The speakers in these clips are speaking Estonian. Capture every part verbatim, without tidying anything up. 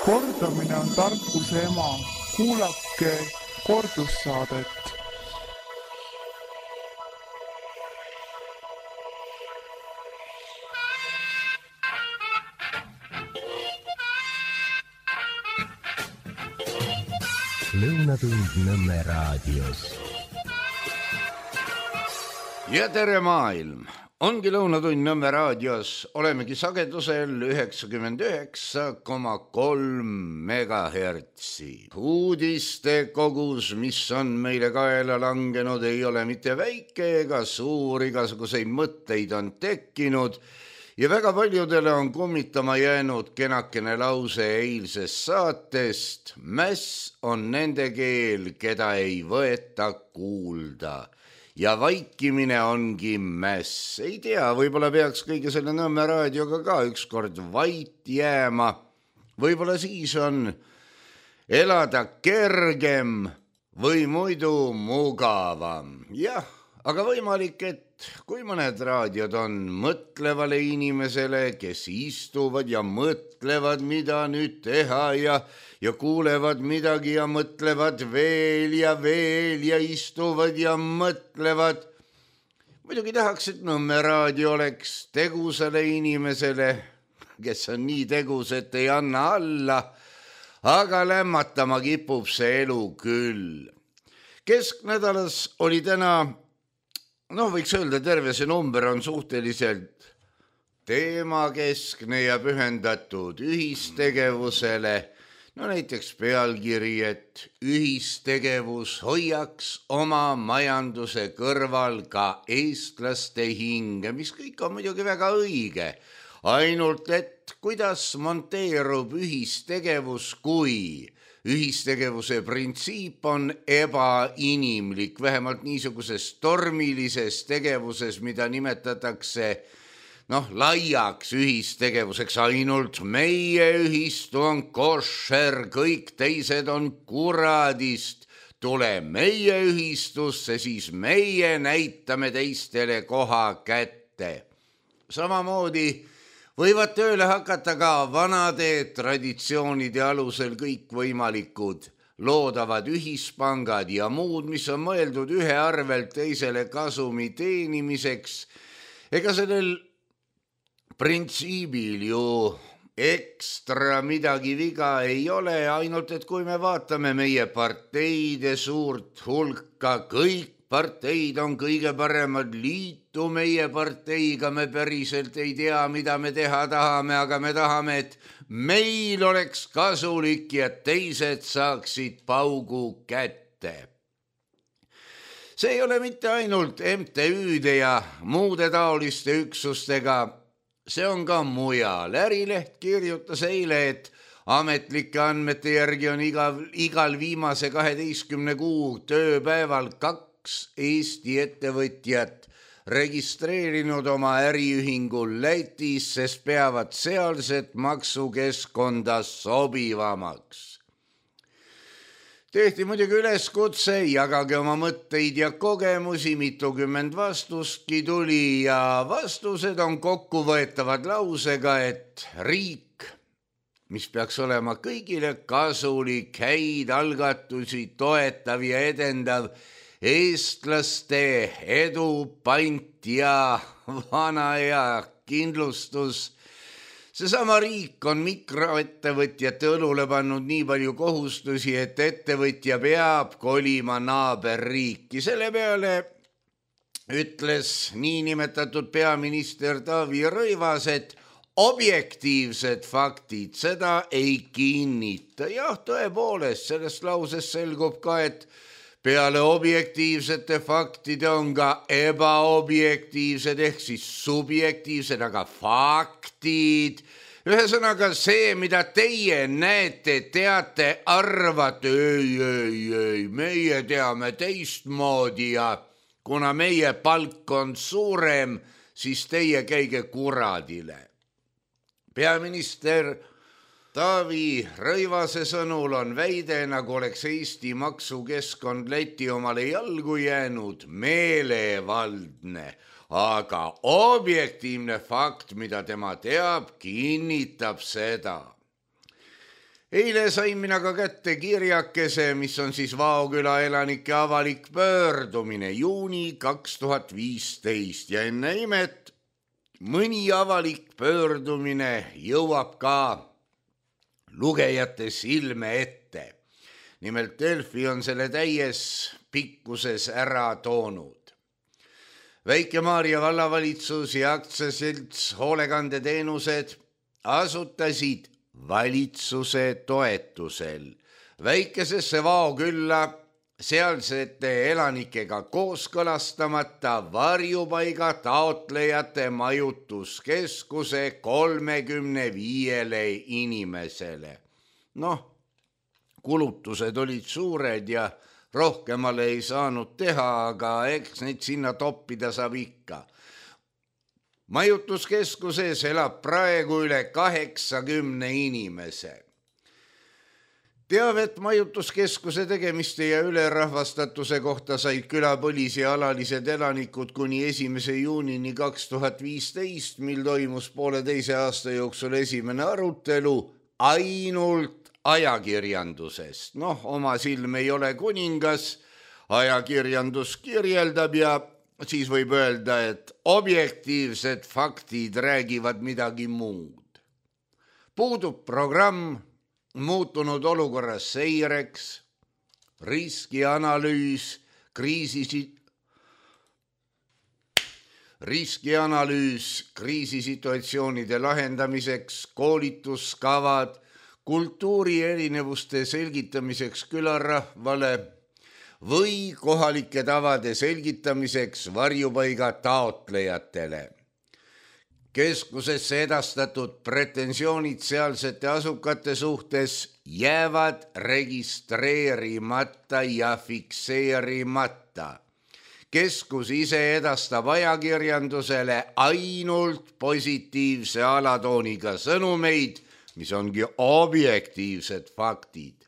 Kordamine on tarkuse ema. Kuulake kordussaadet. Lõunatund Nõmme raadios. Ja tere maailm! Ongi Lõunatund Nõmme raadios. Olemegi sagedusel üheksakümmend üheksa koma kolm megahertsi. Uudiste kogus, mis on meile kaela langenud, ei ole mitte väike ega suur, igasuguseid mõtteid on tekkinud. Ja väga paljudele on kummitama jäänud kenakene lause eilsest saatest. Mäss on nende keel, keda ei võeta kuulda. Ja vaikimine ongi mäss. Ei tea, võib-olla peaks kõige selle Nõmme raadioga ka ükskord vait jääma. Võib-olla siis on elada kergem või muidu mugavam. Jah, aga võimalik, et kui mõned raadiod on mõtlevale inimesele, kes istuvad ja mõtlevad, mida nüüd teha ja, ja kuulevad midagi ja mõtlevad veel ja veel ja istuvad ja mõtlevad. Muidugi tahaks, et Nõmme raadio oleks tegusale inimesele, kes on nii tegus, et ei anna alla, aga lämmatama kipub see elu küll. Kesknädalas oli täna noh, võiks öelda, terve see number on suhteliselt teemakeskne ja pühendatud ühistegevusele. No näiteks pealkiri, et ühistegevus hoiaks oma majanduse kõrval ka eestlaste hinge, mis kõik on muidugi väga õige. Ainult, et kuidas monteerub ühistegevus, kui ühistegevuse printsiip on ebainimlik, vähemalt niisuguses tormilises tegevuses, mida nimetatakse noh, laiaks ühistegevuseks. Ainult meie ühistu on košer, kõik teised on kuradist. Tule meie ühistusse, siis meie näitame teistele koha kätte. Samamoodi võivad tööle hakata ka vanade traditsioonide alusel kõikvõimalikud loodavad ühispangad ja muud, mis on mõeldud ühe arvelt teisele kasumi teenimiseks. Ega sellel printsiibil ju ekstra midagi viga ei ole, ainult et kui me vaatame meie parteide suurt hulka, kõik parteid on kõige paremad, liitu meie parteiga, me päriselt ei tea, mida me teha tahame, aga me tahame, et meil oleks kasulik ja teised saaksid paugu kätte. See ei ole mitte ainult M T Üde ja muude taoliste üksustega, see on ka mujal. Ärileht kirjutas eile, et ametlike andmete järgi on igal, igal viimase kaheteistkümne kuu tööpäeval kaks Eesti ettevõtjat registreerinud oma äriühingu Lätis, sest peavad sealset maksukeskkonda sobivamaks. Tehti muidugi üleskutse, jagage oma mõtteid ja kogemusi, mitukümmend vastustki tuli ja vastused on kokkuvõetavad lausega, et riik, mis peaks olema kõigile kasulik, häid algatusi toetav ja edendav, eestlaste edu, pant ja vana ja kindlustus. Seesama riik on mikroettevõtjate õlule pannud nii palju kohustusi, et ettevõtja peab kolima naaberriiki. Selle peale ütles niinimetatud peaminister Taavi Rõivas, et objektiivsed faktid seda ei kinnita. Jah, tõepoolest, sellest lausest selgub ka, et peale objektiivsete faktide on ka ebaobjektiivsed ehk siis subjektiivsed, aga faktid. Ühesõnaga see, mida teie näete, teate, arvate, ei, ei, ei, meie teame teistmoodi ja kuna meie palk on suurem, siis teie käige kuradile. Peaminister Taavi Rõivase sõnul on väide, nagu oleks Eesti maksukeskkond Läti omale jalgu jäänud, meelevaldne, aga objektiivne fakt, mida tema teab, kinnitab seda. Eile sain mina ka kätte kirjakese, mis on siis Vaoküla elanike avalik pöördumine juuni kaks tuhat viisteist ja enne imet mõni avalik pöördumine jõuab ka lugejate silme ette. Nimelt Delfi on selle täies pikkuses ära toonud. Väike-Maarja vallavalitsus ja aktsiaselts hoolekandeteenused asutasid valitsuse toetusel väikesesse Vaokülla sealsete elanikega kooskõlastamata varjupaiga taotlejate majutuskeskuse kolmekümne viiele inimesele. Noh, kulutused olid suured ja rohkemale ei saanud teha, aga eks neid sinna toppida saab ikka. Majutuskeskuses elab praegu üle kaheksakümne inimese. Teavet majutuskeskuse tegemiste ja ülerahvastatuse kohta said külapõlis ja alalised elanikud kuni esimese juunini kaks tuhat viisteist, mil toimus poole teise aasta jooksul esimene arutelu ainult ajakirjandusest. Noh, oma silm ei ole kuningas, ajakirjandus kirjeldab ja siis võib öelda, et objektiivsed faktid räägivad midagi muud. Puudub programm muutunud olukorras seireks, riskianalüüs, kriisisit... riskianalüüs kriisisituatsioonide lahendamiseks, koolituskavad, kultuuri erinevuste selgitamiseks külarahvale või kohalike tavade selgitamiseks varjupaiga taotlejatele. Keskusesse edastatud pretensioonid sealsete asukate suhtes jäävad registreerimata ja fikseerimata. Keskus ise edastab ajakirjandusele ainult positiivse alatooniga sõnumeid, mis ongi objektiivsed faktid.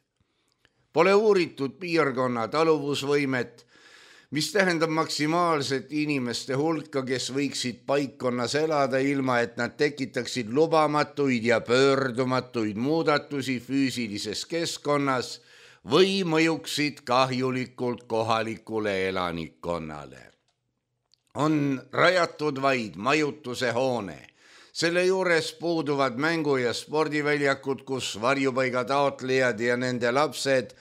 Pole uuritud piirkonna taluvusvõimet, mis tähendab maksimaalset inimeste hulka, kes võiksid paikkonnas elada ilma, et nad tekitaksid lubamatuid ja pöördumatuid muudatusi füüsilises keskkonnas või mõjuksid kahjulikult kohalikule elanikkonnale. On rajatud vaid majutuse hoone. Selle juures puuduvad mängu- ja spordiväljakud, kus varjupaiga taotlejad ja nende lapsed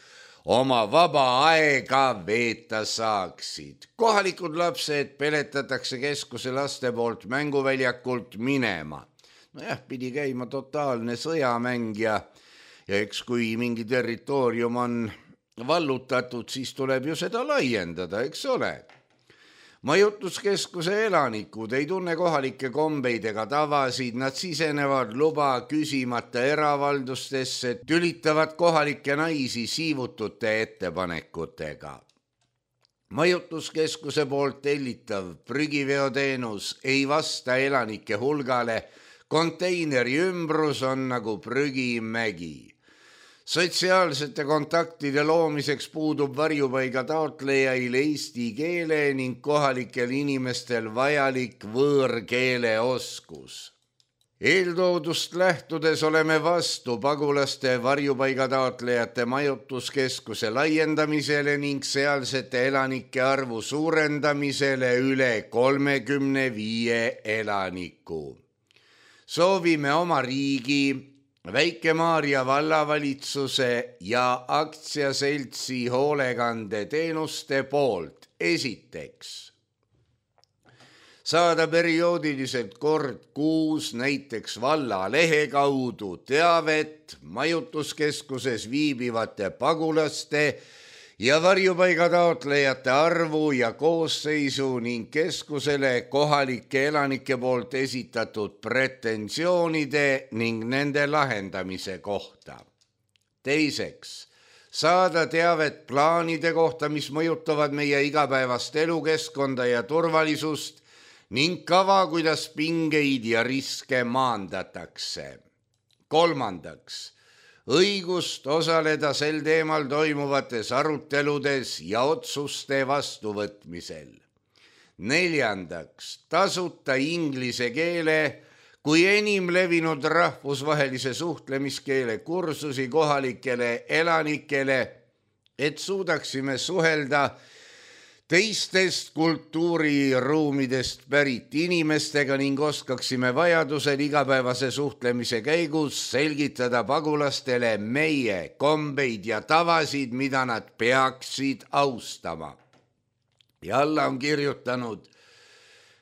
oma vaba aega veeta saaksid. Kohalikud lapsed peletatakse keskuse laste poolt mänguväljakult minema. Nojah, pidi käima totaalne sõjamäng ja, ja eks kui mingi territoorium on vallutatud, siis tuleb ju seda laiendada, eks ole. Majutuskeskuse elanikud ei tunne kohalikke kombeid ega tavasid, nad sisenevad luba küsimata eravaldustesse, tülitavad kohalikke naisi siivutute ettepanekutega. Majutuskeskuse poolt tellitav prügiveoteenus ei vasta elanike hulgale, konteineri ümbrus on nagu prügimägi. Sotsiaalsete kontaktide loomiseks puudub varjupaiga taotlejail eesti keele ning kohalikel inimestel vajalik võõrkeele oskus. Eeltoodust lähtudes oleme vastu pagulaste varjupaiga taotlejate majutuskeskuse laiendamisele ning sealsete elanike arvu suurendamisele üle kolmekümne viie elaniku. Soovime oma riigi, Väike-Maarja vallavalitsuse ja aktsiaseltsi hoolekandeteenuste poolt esiteks saada perioodiliselt kord kuus näiteks valla lehe kaudu teavet majutuskeskuses viibivate pagulaste ja varjupaiga taotlejate arvu ja koosseisu ning keskusele kohalike elanike poolt esitatud pretensioonide ning nende lahendamise kohta. Teiseks, saada teavet plaanide kohta, mis mõjutavad meie igapäevast elukeskkonda ja turvalisust ning kava, kuidas pingeid ja riske maandatakse. Kolmandaks, õigust osaleda sel teemal toimuvates aruteludes ja otsuste vastuvõtmisel. Neljandaks, tasuta inglise keele kui enim levinud rahvusvahelise suhtlemiskeele kursusi kohalikele elanikele, et suudaksime suhelda teistest kultuuriruumidest pärit inimestega ning oskaksime vajadusel igapäevase suhtlemise käigus selgitada pagulastele meie kombeid ja tavasid, mida nad peaksid austama. Ja alla on kirjutanud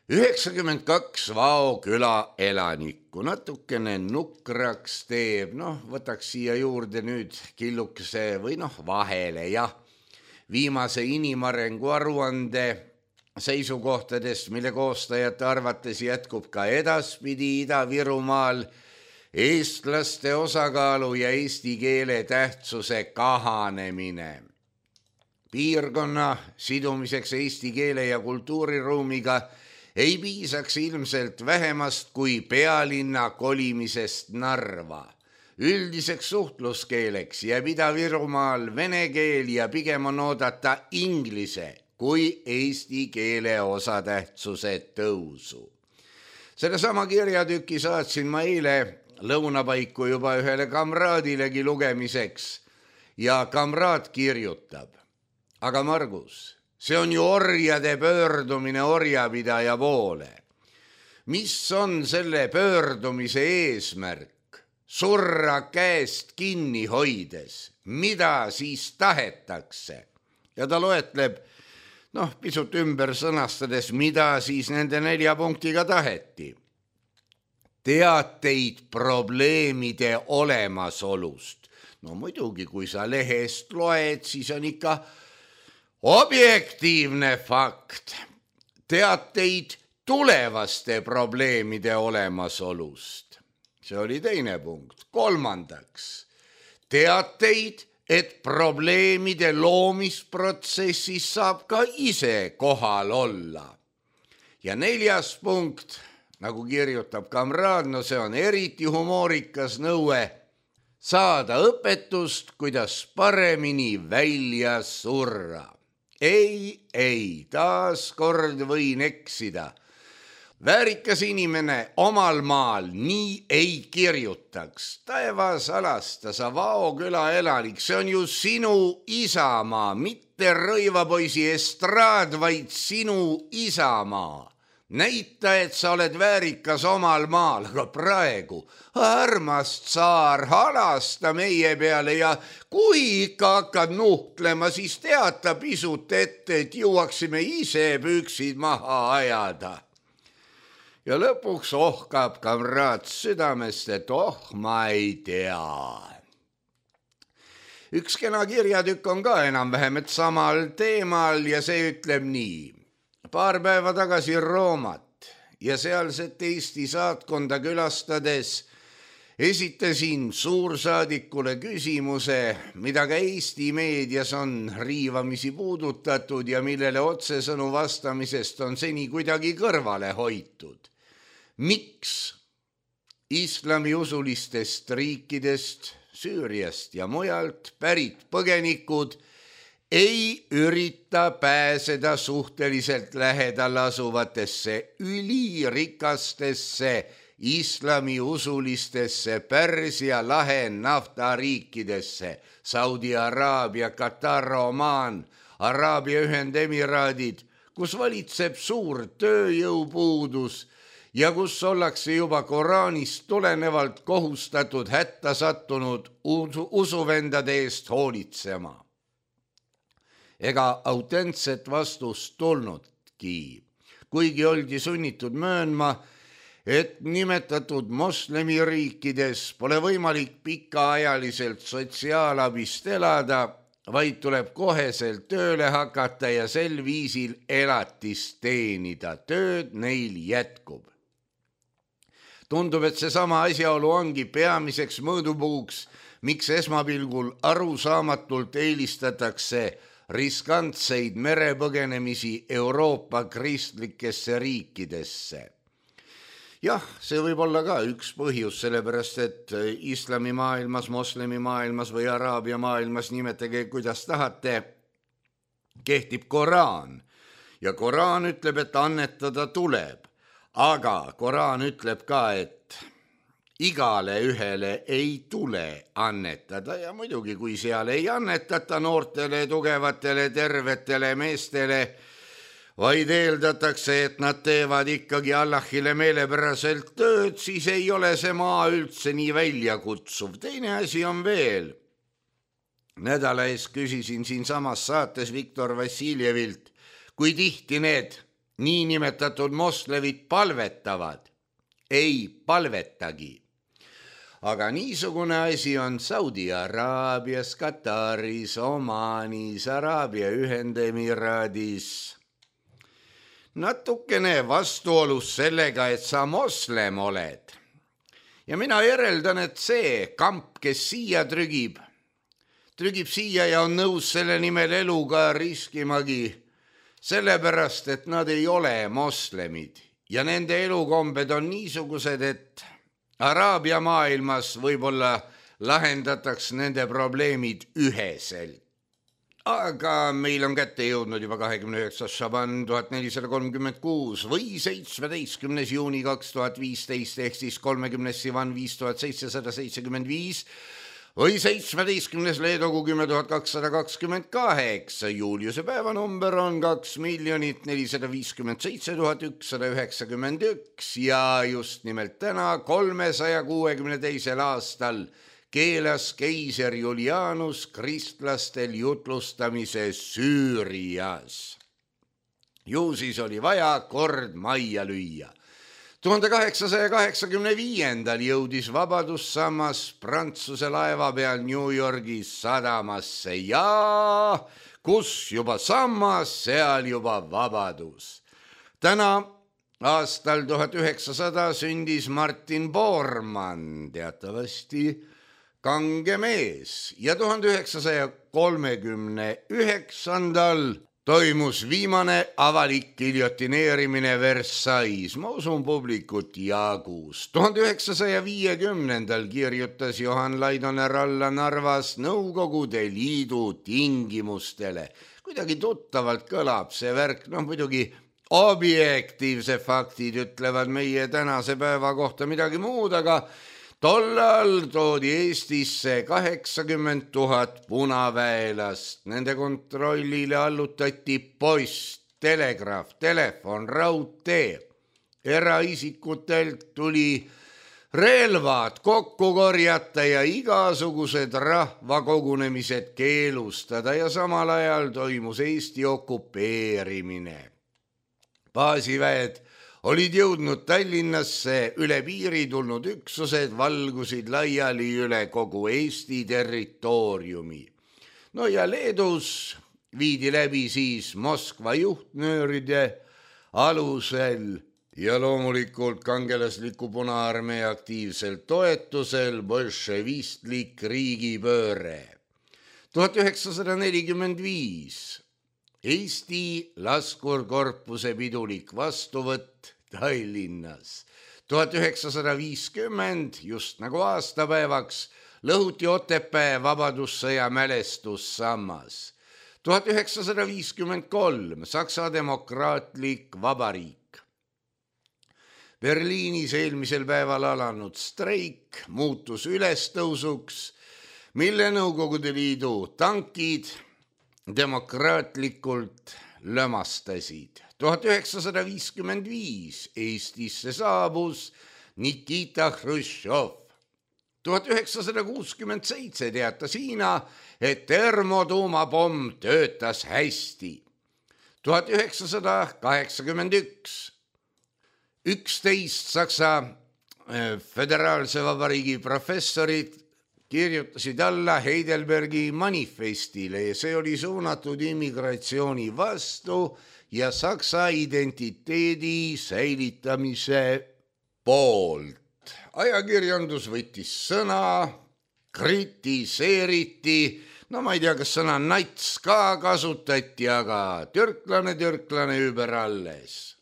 üheksakümmend kaks Vao küla elanikku. Natukene nukraks teeb, noh, võtaks siia juurde nüüd killukese või noh, vahele, jah. Viimase inimarengu aruande seisukohtadest, mille koostajate arvates jätkub ka edaspidi Ida-Virumaal eestlaste osakaalu ja eesti keele tähtsuse kahanemine. Piirkonna sidumiseks eesti keele ja kultuuriruumiga ei piisaks ilmselt vähemast kui pealinna kolimisest Narva. Üldiseks suhtluskeeleks jääb Ida-Virumaal vene keel ja pigem on oodata inglise kui eesti keele osatähtsuse tõusu. Selle sama kirjatüki saatsin ma eile lõunapaiku juba ühele kamraadilegi lugemiseks ja kamraad kirjutab. Aga Margus, see on ju orjade pöördumine orjapidaja poole. Mis on selle pöördumise eesmärk? Surra käest kinni hoides, mida siis tahetakse? Ja ta loetleb, noh, pisut ümber sõnastades, mida siis nende nelja punktiga taheti. Teateid probleemide olemasolust. No muidugi, kui sa lehest loed, siis on ikka objektiivne fakt. Teateid tulevaste probleemide olemasolust. See oli teine punkt. Kolmandaks, teateid, et probleemide loomisprotsessis saab ka ise kohal olla. Ja neljas punkt, nagu kirjutab kamraad, no see on eriti humoorikas nõue, saada õpetust, kuidas paremini välja surra. Ei, ei, taas kord võin eksida. Väärikas inimene omal maal nii ei kirjutaks. Taevas alasta, sa Vao küla elanik, see on ju sinu isamaa, mitte rõivapoisi estraad, vaid sinu isamaa. Näita, et sa oled väärikas omal maal, aga praegu armas tsaar, halasta meie peale ja kui ikka hakkad nuhtlema, siis teata pisut ette, et jõuaksime ise püksid maha ajada. Ja lõpuks ohkab kamraad südamest, et oh, ma ei tea. Üks kena kirjatükk on ka enam-vähem et samal teemal ja see ütleb nii. Paar päeva tagasi Roomat ja sealset Eesti saatkonda külastades esitasin suursaadikule küsimuse, mida ka Eesti meedias on riivamisi puudutatud ja millele otsesõnu vastamisest on seni kuidagi kõrvale hoitud. Miks islamiusulistest riikidest, Süüriast ja mujalt pärit põgenikud ei ürita pääseda suhteliselt lähedal asuvatesse ülirikastesse islamiusulistesse Pärsia lahe naftariikidesse, Saudi Araabia, Katar, Oman, Araabia Ühendemiraadid, kus valitseb suur tööjõupuudus ja kus ollakse juba Koraanist tulenevalt kohustatud hätta sattunud usuvendade eest hoolitsema. Ega autentset vastust tulnudki, kuigi oldi sunnitud möönma, et nimetatud moslemiriikides pole võimalik pikaajaliselt sotsiaalabist elada, vaid tuleb koheselt tööle hakata ja sel viisil elatist teenida. Tööd neil jätkub. Tundub, et seesama asjaolu ongi peamiseks mõõdupuuks, miks esmapilgul arusaamatult eelistatakse riskantseid merepõgenemisi Euroopa kristlikesse riikidesse. Jah, see võib olla ka üks põhjus, sellepärast et islamimaailmas, moslemimaailmas või araabia maailmas, nimetage kuidas tahate, kehtib Koraan. Ja Koraan ütleb, et annetada tuleb. aga Koraan ütleb ka, et igale ühele ei tule annetada ja muidugi, kui seal ei annetata noortele, tugevatele, tervetele meestele, vaid eeldatakse, et nad teevad ikkagi Allahile meelepäraselt tööd, siis ei ole see maa üldse nii väljakutsuv. Teine asi on veel. Nädala ees küsisin siin samas saates Viktor Vassiljevilt, kui tihti need niinimetatud moslevid palvetavad. Ei palvetagi. Aga niisugune asi on Saudi Araabias, Kataris, Omaanis, Araabia Ühendemiraadis. Natukene vastuolus sellega, et sa moslem oled. Ja mina järeldan, et see kamp, kes siia trügib, trügib siia ja on nõus selle nimel eluga riskimagi, sellepärast, et nad ei ole moslemid ja nende elukombed on niisugused, et Araabia maailmas võib-olla lahendataks nende probleemid üheselt. Aga meil on kätte jõudnud juba kahekümne üheksas Šaban tuhat nelisada kolmkümmend kuus või seitsmeteistkümnes juuni kaks tuhat viisteist ehk siis kolmekümnes Sivan viis tuhat seitsesada seitsekümmend viis või seitsmeteistkümnes Leedogu kümme tuhat kakssada kakskümmend kaheksa. Juuliuse päevanumber on kaks miljonit nelisada viiskümmend seitse tuhat ükssada üheksakümmend üks ja just nimelt täna kolmesaja kuuekümne teisel aastal keelas keiser Julianus kristlastel jutlustamise Süürias. Ju siis oli vaja kord majja lüüa. tuhande kaheksasaja kaheksakümne viiendal jõudis vabadussammas Prantsuse laeva peal New Yorgis sadamasse ja kus juba sammas, seal juba vabadus. Täna aastal tuhat üheksasada sündis Martin Bormann, teatavasti kange mees ja tuhande üheksasaja kolmekümne üheksandal toimus viimane avalik giljotineerimine Versailles. Ma usun publikut jagus. tuhande üheksasaja viiekümnendal kirjutas Johan Laidoner alla Narvas Nõukogude Liidu tingimustele. Kuidagi tuttavalt kõlab see värk, noh muidugi objektiivse faktid ütlevad meie tänase päeva kohta midagi muud, aga tollal toodi Eestisse kaheksakümmend tuhat punaväelast. Nende kontrollile allutati post, telegraaf, telefon, raudtee. Eraisikutelt tuli relvad kokku korjata ja igasugused rahvakogunemised keelustada ja samal ajal toimus Eesti okupeerimine. Baasiväed olid jõudnud Tallinnasse, üle piiri tulnud üksused valgusid laiali üle kogu Eesti territooriumi. No ja Leedus viidi läbi siis Moskva juhtnööride alusel ja loomulikult kangelasliku Punaarmee aktiivsel toetusel bolševistlik riigipööre. tuhat üheksasada nelikümmend viis Eesti laskurkorpuse pidulik vastuvõtt Tallinnas. tuhat üheksasada viiskümmend, just nagu aastapäevaks, lõhuti Otepää vabadussõja mälestussammas. tuhat üheksasada viiskümmend kolm, Saksa demokraatlik vabariik. Berliinis eelmisel päeval alanud streik muutus ülestõusuks, mille Nõukogude Liidu tankid demokraatlikult lömastasid. tuhat üheksasada viiskümmend viis Eestisse saabus Nikita Hruštšov. tuhat üheksasada kuuskümmend seitse teatas Hiina, et termotuumapomm töötas hästi. tuhat üheksasada kaheksakümmend üks üksteist Saksa föderaalse vabariigi professorid kirjutasid alla Heidelbergi manifestile ja see oli suunatud immigratsiooni vastu ja Saksa identiteedi säilitamise poolt. Ajakirjandus võttis sõna, kritiseeriti, no ma ei tea, kas sõna nats ka kasutati, aga türklane, türklane über alles.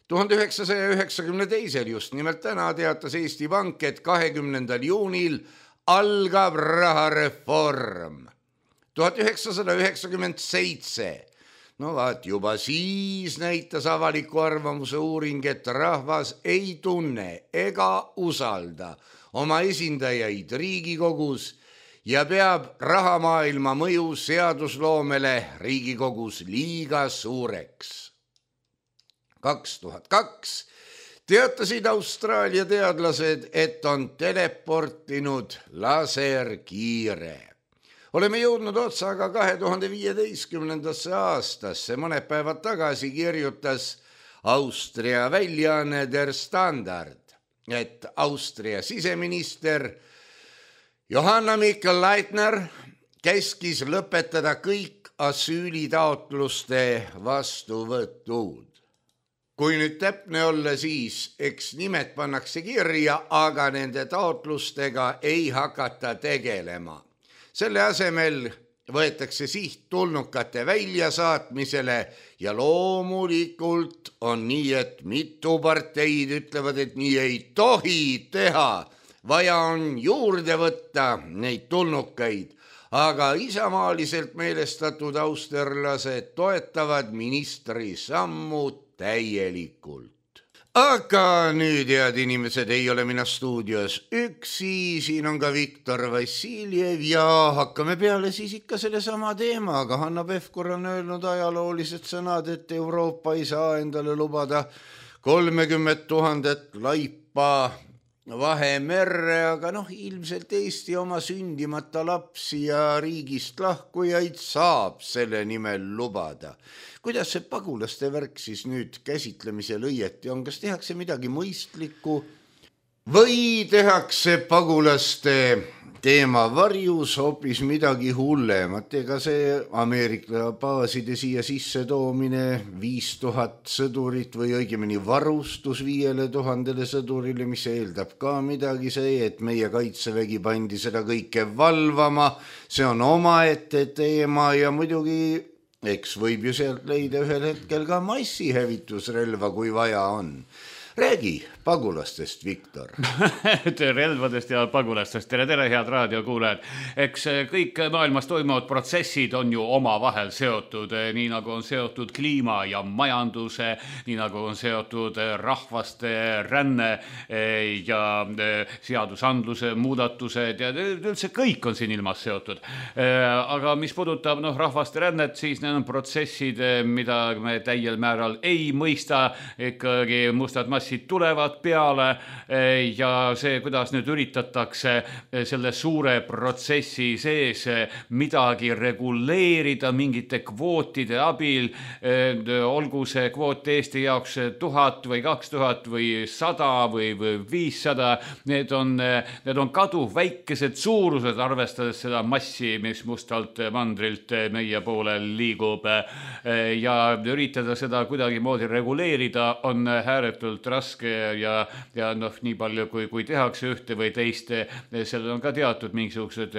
tuhande üheksasaja üheksakümne teisel just nimelt täna teatas Eesti Pank, et kahekümnendal juunil algab rahareform. tuhat üheksasada üheksakümmend seitse no vaat, juba siis näitas avaliku arvamuse uuring, et rahvas ei tunne ega usalda oma esindajaid Riigikogus ja peab rahamaailma mõju seadusloomele Riigikogus liiga suureks. kaks tuhat kaks teatasid Austraalia teadlased, et on teleportinud laserkiire. Oleme jõudnud otsaga kahe tuhande viieteistkümnendasse aastasse. Mõned päevad tagasi kirjutas Austria väljaanne Der Standard, et Austria siseminister Johanna Mikl-Leitner käskis lõpetada kõik asüülitaotluste vastuvõtud. Kui nüüd täpne olla, siis eks nimed pannakse kirja, aga nende taotlustega ei hakata tegelema. Selle asemel võetakse siht tulnukate väljasaatmisele ja loomulikult on nii, et mitu parteid ütlevad, et nii ei tohi teha. Vaja on juurde võtta neid tulnukaid, aga isamaaliselt meelestatud austerlased toetavad ministri sammu täielikult. Aga nüüd, head inimesed, ei ole mina stuudios üksi, siin on ka Viktor Vassiljev ja hakkame peale siis ikka selle sama teemaga. Hanna Pevkur on öelnud ajaloolised sõnad, et Euroopa ei saa endale lubada kolmekümmet tuhandet laipa Vahemerre, aga noh, ilmselt Eesti oma sündimata lapsi ja riigist lahkujaid saab selle nimel lubada. Kuidas see pagulaste värk siis nüüd käsitlemisel õieti on? Kas tehakse midagi mõistlikku või tehakse pagulaste teema varjus hoopis midagi hullemat? Ega see Ameerika baaside siia sisse toomine viis tuhat sõdurit või õigemini varustus viiele tuhandele sõdurile, mis eeldab ka midagi, see, et meie kaitsevägi pandi seda kõike valvama, see on omaette teema ja muidugi eks võib ju sealt leida ühel hetkel ka massihävitusrelva, kui vaja on. Räägi pagulastest, Viktor. Relvadest ja pagulastest. Tere, tere, head raadiokuulajad. Eks kõik maailmas toimuvad protsessid on ju omavahel seotud, nii nagu on seotud kliima ja majanduse, nii nagu on seotud rahvaste ränne ja seadusandluse muudatused ja üldse kõik on siin ilmas seotud. Aga mis puudutab noh, rahvaste rännet, siis need on protsessid, mida me täiel määral ei mõista, ikkagi mustad massid tulevad peale ja see, kuidas nüüd üritatakse selle suure protsessi sees midagi reguleerida mingite kvootide abil, olgu see kvoot Eesti jaoks tuhat või kaks tuhat või sada või viissada, need on, need on kaduv väikesed suurused, arvestades seda massi, mis mustalt mandrilt meie poole liigub ja üritada seda kuidagi moodi reguleerida on ääretult raske ja, ja noh, nii palju, kui, kui tehakse ühte või teist, sellel on ka teatud mingisugused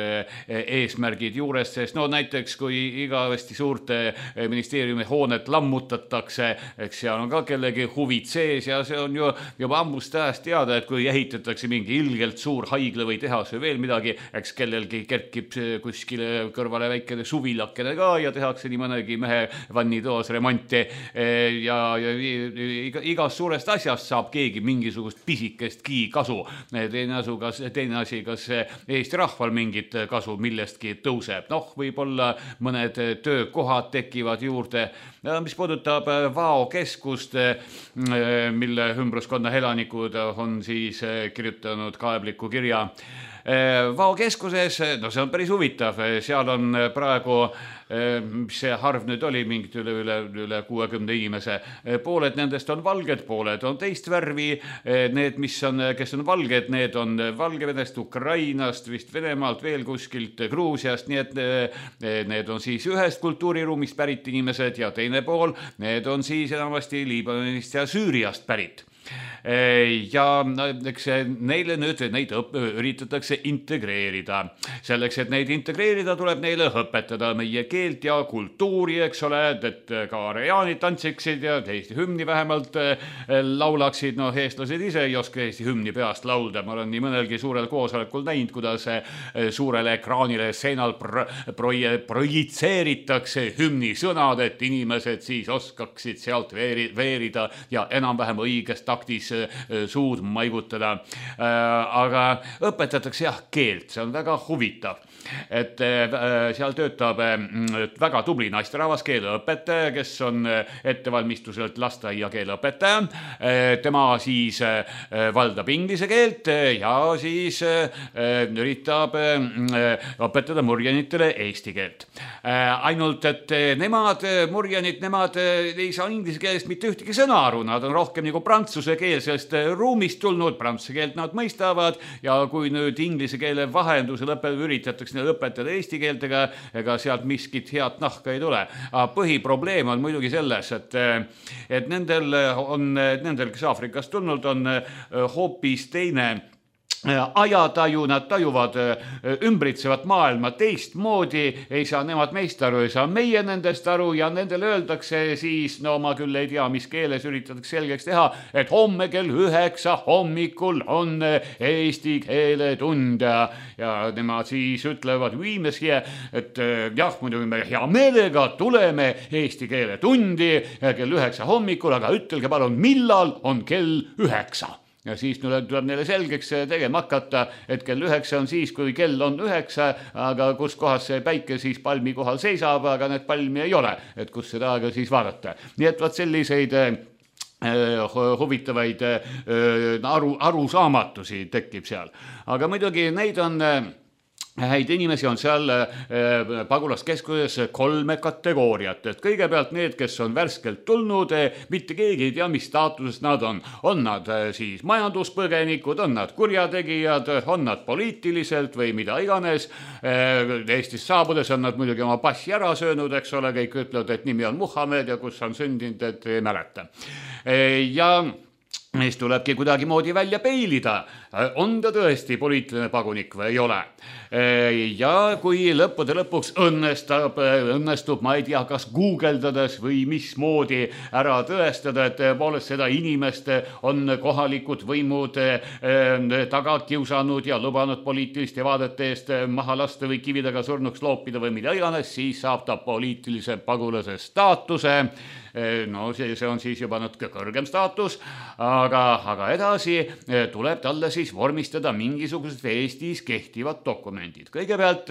eesmärgid juures, sest no näiteks, kui igavesti suurte ministeeriumi hoonet lammutatakse, eks seal on ka kellegi huvid sees ja see on ju juba ammust ajast teada, et kui ehitatakse mingi ilgelt suur haigla või tehas või veel midagi, eks kellelgi kerkib kuskile kõrvale väikene suvilakene ka ja tehakse nii mõnegi mehe vannitoas remonti ja, ja iga, igas suurest asjast saab keegi mingisugust pisikestki kasu. Teine, asu, kas, teine asi, kas Eesti rahval mingit kasu millestki tõuseb. Noh, võib-olla mõned töökohad tekivad juurde. Mis puudutab Vao keskust, mille ümbruskonna elanikud on siis kirjutanud kaebliku kirja Vao keskuses, no see on päris huvitav, seal on praegu, mis see harv nüüd oli, mingid üle, üle, üle kuuekümne inimese, pooled nendest on valged, pooled on teist värvi, need, mis on, kes on valged, need on Valgevenest, Ukrainast, vist Venemaalt, veel kuskilt Gruusiast, nii et need on siis ühest kultuuriruumist pärit inimesed ja teine pool, need on siis enamasti Liibanonist ja Süüriast pärit. ja eks neile nüüd neid õp- üritatakse integreerida. Selleks, et neid integreerida, tuleb neile õpetada meie keelt ja kultuuri, eks ole, et ka areaanid tantsiksid ja Eesti hümni vähemalt laulaksid. No eestlased ise ei oska Eesti hümni peast laulda. Ma olen nii mõnelgi suurel koosolekul näinud, kuidas suurele ekraanile seinal pro- pro- projitseeritakse hümni sõnad, et inimesed siis oskaksid sealt veeri- veerida ja enam-vähem õiges taktis suud maigutada. Aga õpetatakse jah keelt, see on väga huvitav. Et seal töötab väga tubli naisterahvas keeleõpetaja, kes on ettevalmistuselt lasteaia keeleõpetaja. Tema siis valdab inglise keelt ja siis üritab õpetada murjanitele eesti keelt. Ainult, et nemad, murjanid, nemad ei saa inglise keelest mitte ühtegi sõna aru, nad on rohkem nagu prantsuse keelsest ruumist tulnud, prantsuse keelt nad mõistavad ja kui nüüd inglise keele vahendusel üritatakse õpetada eesti keeltega, ega sealt miskit head nahka ei tule. Aga põhiprobleem on muidugi selles, et, et nendel on, nendel, kes Aafrikast tulnud, on hoopis teine ajataju, nad tajuvad ümbritsevat maailma teistmoodi, ei saa nemad meist aru, ei saa meie nendest aru ja nendele öeldakse siis, no ma küll ei tea, mis keeles üritatakse selgeks teha, et homme kell üheksa hommikul on eesti keele tund ja, ja nemad siis ütlevad, viimeski, et jah, muidugi me hea meelega tuleme eesti keele tundi kell üheksa hommikul, aga ütelge palun, millal on kell üheksa. Ja siis tuleb neile selgeks tegema hakata, et kell üheksa on siis, kui kell on üheksa, aga kus kohas see päike siis palmi kohal seisab, aga need palmi ei ole, et kus seda aega siis vaadata. Nii et vaat selliseid huvitavaid aru, arusaamatusi tekib seal. Aga muidugi neid on... Häid inimesi on seal pagulaskeskuses kolme kategooriat, et kõigepealt need, kes on värskelt tulnud, mitte keegi ei tea, mis staatusest nad on. On nad siis majanduspõgenikud, on nad kurjategijad, on nad poliitiliselt või mida iganes. Eestis saabudes on nad muidugi oma passi ära söönud, eks ole, kõik ütlevad, et nimi on Muhamed ja kus on sündinud, et ei mäleta. Ja... Meist tulebki kuidagi moodi välja peilida. On ta tõesti poliitiline pagunik või ei ole? Ja kui lõppude lõpuks õnnestab, õnnestub, ma ei tea, kas guugeldades või mismoodi ära tõestada, et tõepoolest seda inimest on kohalikud võimud taga kiusanud ja lubanud poliitiliste vaadete eest maha lasta või kividega surnuks loopida või mida iganes, siis saab ta poliitilise pagulase staatuse. No see, see on siis juba natuke kõrgem staatus, aga, aga edasi tuleb talle siis vormistada mingisugused Eestis kehtivad dokumendid. Kõigepealt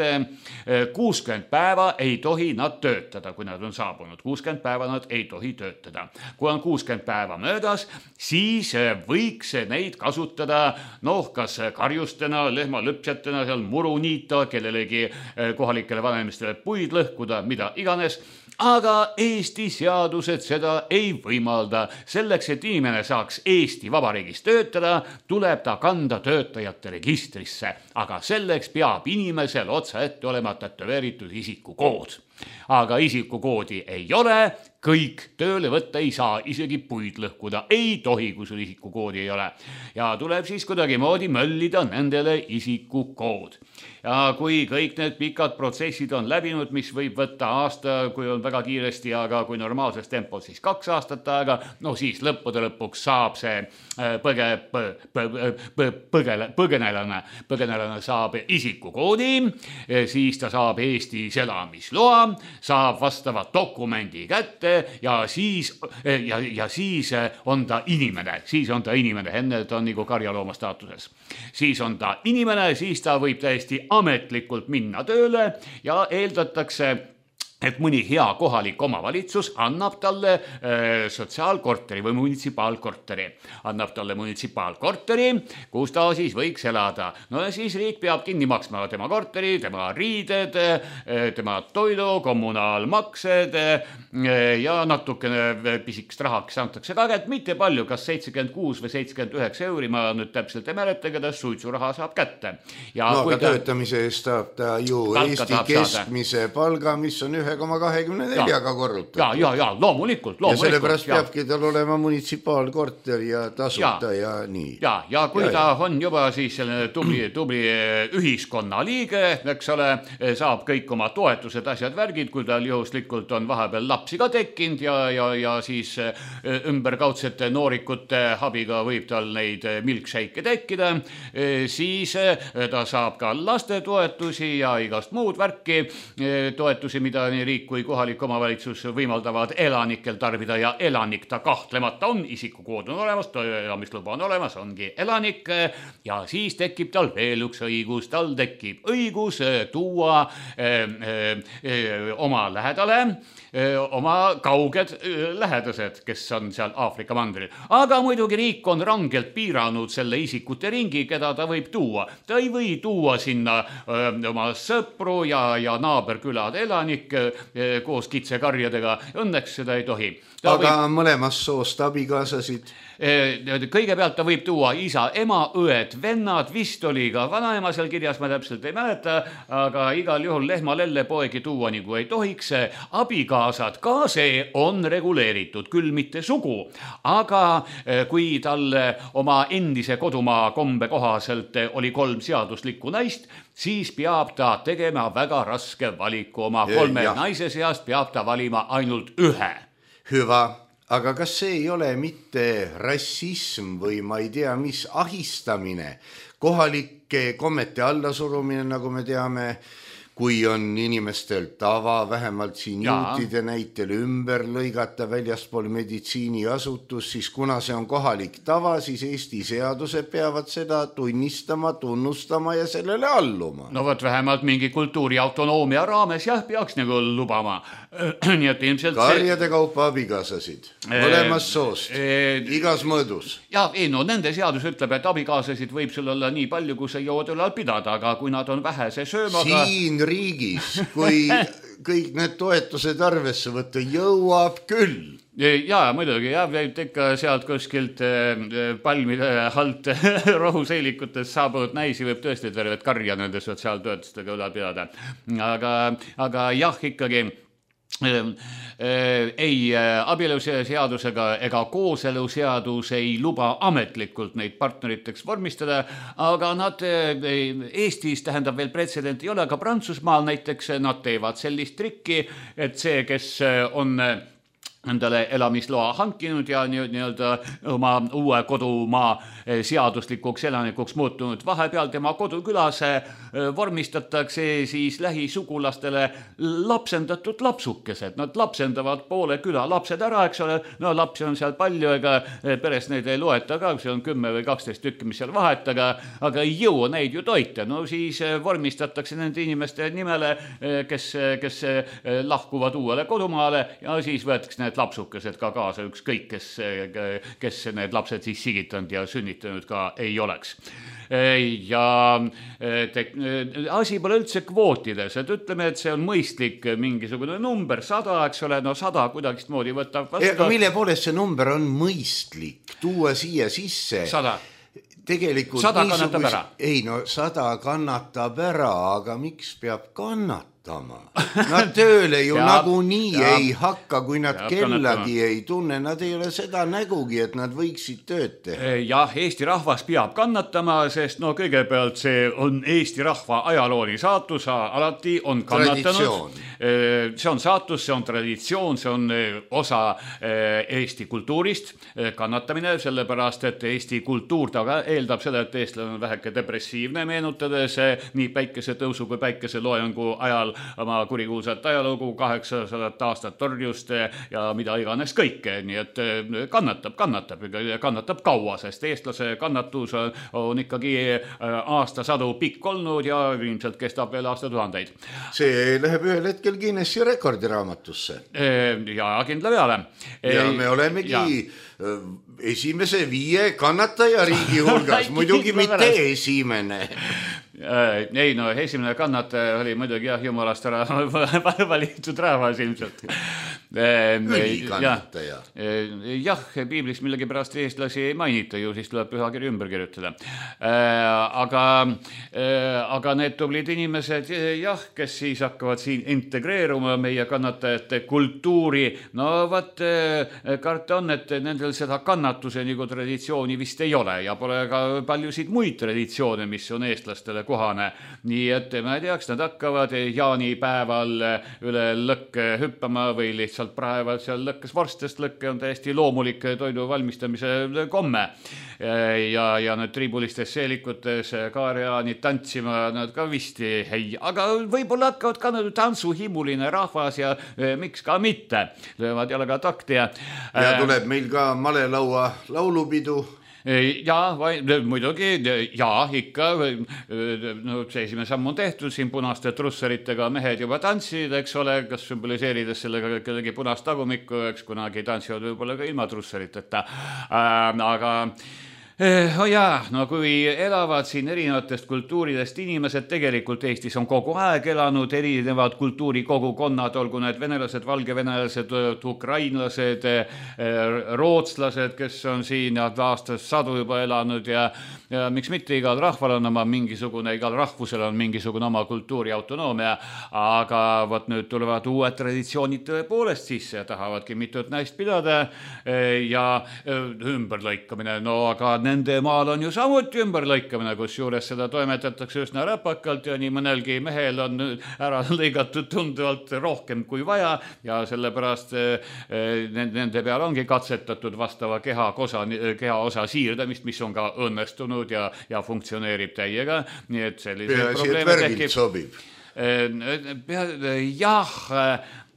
kuuskümmend päeva ei tohi nad töötada, kui nad on saabunud. kuuskümmend päeva nad ei tohi töötada. Kui on kuuskümmend päeva möödas, siis võiks neid kasutada, noh, kas karjustena, lehmalüpsjatena, seal muru niita, kellelegi kohalikele vanemistele puid lõhkuda, mida iganes. Aga Eesti seadused seda ei võimalda. Selleks, et inimene saaks Eesti Vabariigis töötada, tuleb ta kanda töötajate registrisse. Aga selleks peab inimesel otsa ette olema tätoveeritud isikukood. Aga isikukoodi ei ole, kõik tööle võtta ei saa, isegi puid lõhkuda ei tohi, kui sul isikukoodi ei ole. Ja tuleb siis kuidagi moodi möllida nendele isikukood. Ja kui kõik need pikad protsessid on läbinud, mis võib võtta aasta, kui on väga kiiresti, aga kui normaalses tempos, siis kaks aastat aega, no siis lõppude lõpuks saab see põge, põ, põ, põ, põgele, põgenelane, põgenelane saab isikukoodi, siis ta saab Eestis elamisloa, saab vastava dokumendi kätte ja siis, ja, ja siis on ta inimene, siis on ta inimene, enne ta on nagu karjalooma staatuses. Siis on ta inimene, siis ta võib täiesti ametlikult minna tööle ja eeldatakse, et mõni hea kohalik omavalitsus annab talle äh, sotsiaalkorteri või munitsipaalkorteri. Annab talle munitsipaalkorteri, kus ta siis võiks elada. No ja siis riik peab kinni maksma tema korteri, tema riided, äh, tema toidu, kommunaalmaksed äh, ja natukene pisikest rahaks antakse ka, et mitte palju, kas seitsekümmend kuus või seitsekümmend üheksa euri, ma nüüd täpselt ei mäleta, keda suitsuraha saab kätte. Ja no aga ta... töötamise eest saab ta ju Eesti keskmise palga, mis on ühe koma kahekümne neljaga korrutatud. Ja, ja, ja, loomulikult, loomulikult. Ja sellepärast ja. peabki tal olema munitsipaalkorter ja tasuta ja, ja nii. Ja, ja kui ja, ta ja. on juba siis selline tubli, tubli ühiskonna liige, eks ole, saab kõik oma toetused, asjad, värgid, kui tal juhuslikult on vahepeal lapsi ka tekkinud ja, ja, ja siis ümberkaudsete noorikute abiga võib tal neid milkshake'e tekkida, siis ta saab ka lastetoetusi ja igast muud värki, toetusi, mida nii riik kui kohalik omavalitsus võimaldavad elanikel tarbida ja elanik ta kahtlemata on, isikukood on olemas, elamisluba on olemas, ongi elanik ja siis tekib tal veel üks õigus, tal tekib õigus tuua öö, öö, oma lähedale öö, oma kauged öö, lähedased, kes on seal Aafrika mandril. Aga muidugi riik on rangelt piiranud selle isikute ringi, keda ta võib tuua. Ta ei või tuua sinna öö, oma sõpru ja, ja naaberkülade elanikke koos kitsekarjadega. Õnneks seda ei tohi. Ta aga võib... mõlemas soost abikaasasid? Kõigepealt ta võib tuua isa, ema, õed, vennad, vist oli ka vanaema seal kirjas, ma täpselt ei mäleta, aga igal juhul lehma lellepoegi tuua nagu ei tohiks. Abikaasad, ka see on reguleeritud, küll mitte sugu, aga kui tal oma endise kodumaa kombe kohaselt oli kolm seaduslikku naist, siis peab ta tegema väga raske valiku oma kolme ja. naise seast, peab ta valima ainult ühe. Hüva, aga kas see ei ole mitte rassism või ma ei tea, mis ahistamine, kohalike kommete allasurumine, nagu me teame, kui on inimestel tava, vähemalt siin juutide näitel ümber lõigata väljaspool meditsiiniasutus, siis kuna see on kohalik tava, siis Eesti seadused peavad seda tunnistama, tunnustama ja sellele alluma. No võt vähemalt mingi kultuuri autonoomia raames jah, peaks nagu lubama. Nii et ilmselt karjade see... kaupa abikaasasid, mõlemas soost, e... igas mõõdus. Ja, ei, no nende seadus ütleb, et abikaasasid võib sul olla nii palju, kui sa jõuad ülal pidada, aga kui nad on vähese söömaga... Siin riigis, kui kõik need toetused arvesse võtta, jõuab küll. Ja, muidugi, ja võib ikka sealt kuskilt palmide alt rohuseilikutest saabunud naisi võib tõesti tervet karja nende sotsiaaltöötustega üle pidada. Aga, aga jah, ikkagi... ei abieluseadusega ega kooseluseadus ei luba ametlikult neid partneriteks vormistada, aga nad Eestis tähendab veel pretsedent ei ole, aga Prantsusmaal näiteks nad teevad sellist trikki, et see, kes on endale elamisloa hankinud ja nii-öelda oma uue kodumaa seaduslikuks elanikuks muutunud. Vahepeal tema kodukülas vormistatakse siis lähisugulastele lapsendatud lapsukesed. Nad lapsendavad poole küla lapsed ära, eks ole. No lapsi on seal palju, ega peres neid ei loeta ka, see on kümme või kaksteist tükki, mis seal vahet, aga, aga ei jõua neid ju toita. No siis vormistatakse nende inimeste nimele, kes, kes lahkuvad uuele kodumaale ja siis võetakse need lapsukesed ka kaasa, ükskõik, kes, kes need lapsed siis sigitanud ja sünnitanud ka ei oleks. Ja te, asi pole üldse kvootides, et ütleme, et see on mõistlik mingisugune number, sada, eks ole, no sada kuidagist moodi võtab vastu. Aga mille poolest see number on mõistlik tuua siia sisse? Sada. Tegelikult sada kannatab ära. Ei, no sada kannatab ära, aga miks peab kannatama? Nad tööle ju nagu nii ei hakka, kui nad kellagi ei tunne. Nad ei ole seda nägugi, et nad võiksid tööd teha. Jah, Eesti rahvas peab kannatama, sest no kõigepealt see on Eesti rahva ajalooni saatus, alati on kannatanud. See on saatus, see on traditsioon, see on osa Eesti kultuurist, kannatamine, sellepärast, et Eesti kultuur taga eeldab seda, et eestlane on väheke depressiivne, meenutades nii päikese tõusu kui päikese loojangu ajal oma kurikuulsat ajalugu, kaheksasadat aastat torjust ja mida iganes kõike, nii et kannatab, kannatab, kannatab kaua, sest eestlase kannatus on ikkagi aastasadu pikk olnud ja ilmselt kestab veel aastatuhandeid. See läheb ühel hetkel Guinessi rekordiraamatusse. Ja kindla peale. Ja me olemegi ja. esimese viie kannataja riigi hulgas, muidugi mitte esimene. Ei, no esimene kannataja oli muidugi jah, jumalast ära valitud rahvas ilmselt. ülikannataja. Jah, piiblis millegi pärast eestlasi ei mainita ju, siis tuleb pühakiri ümber kirjutada. Aga, aga need tublid inimesed, jah, kes siis hakkavad siin integreeruma meie kannatajate kultuuri, no vat karta on, et nendel seda kannatuse nagu traditsiooni vist ei ole ja pole ka paljusid muid traditsioone, mis on eestlastele kohane. Nii et ma ei teaks, nad hakkavad jaanipäeval üle lõkke hüppama või lihtsalt praevad seal lõkkes vorstest. Lõkke on täiesti loomulik toidu valmistamise komme. Ja, ja need triibulistes seelikutes kaarjaanid tantsima nad ka vist ei, aga võib-olla hakkavad ka tantsuhimuline rahvas ja miks ka mitte. Löövad jalaga takti ja... Ja tuleb meil ka malelaua laulupidu. Ja, vai, muidugi, ja, ikka, no see esimene samm on tehtud, siin punaste trussaritega mehed juba tantsid, eks ole, kas sümboliseerides sellega kellegi punast tagumikku, eks kunagi tantsivad võib-olla ka ilma trussariteta, äh, aga... Oh jaa, no kui elavad siin erinevatest kultuuridest inimesed, tegelikult Eestis on kogu aeg elanud erinevad kultuurikogukonnad, olgu need venelased, valgevenelased, ukrainlased, rootslased, kes on siin aastas sadu juba elanud ja, ja miks mitte igal rahval on oma mingisugune, igal rahvusel on mingisugune oma kultuuri autonoomia, aga võt nüüd tulevad uued traditsioonid tõepoolest sisse ja tahavadki mitut näist pidada ja ümberlõikamine, no aga nende maal on ju samuti ümberlõikamine, kus juures seda toimetatakse üsna räpakalt ja nii mõnelgi mehel on ära lõigatud tunduvalt rohkem kui vaja ja sellepärast nende peal ongi katsetatud vastava kehaosa, kehaosa siirdamist, mis on ka õnnestunud ja, ja funktsioneerib täiega. Nii et sellised probleeme tekib. Sobib. Jah,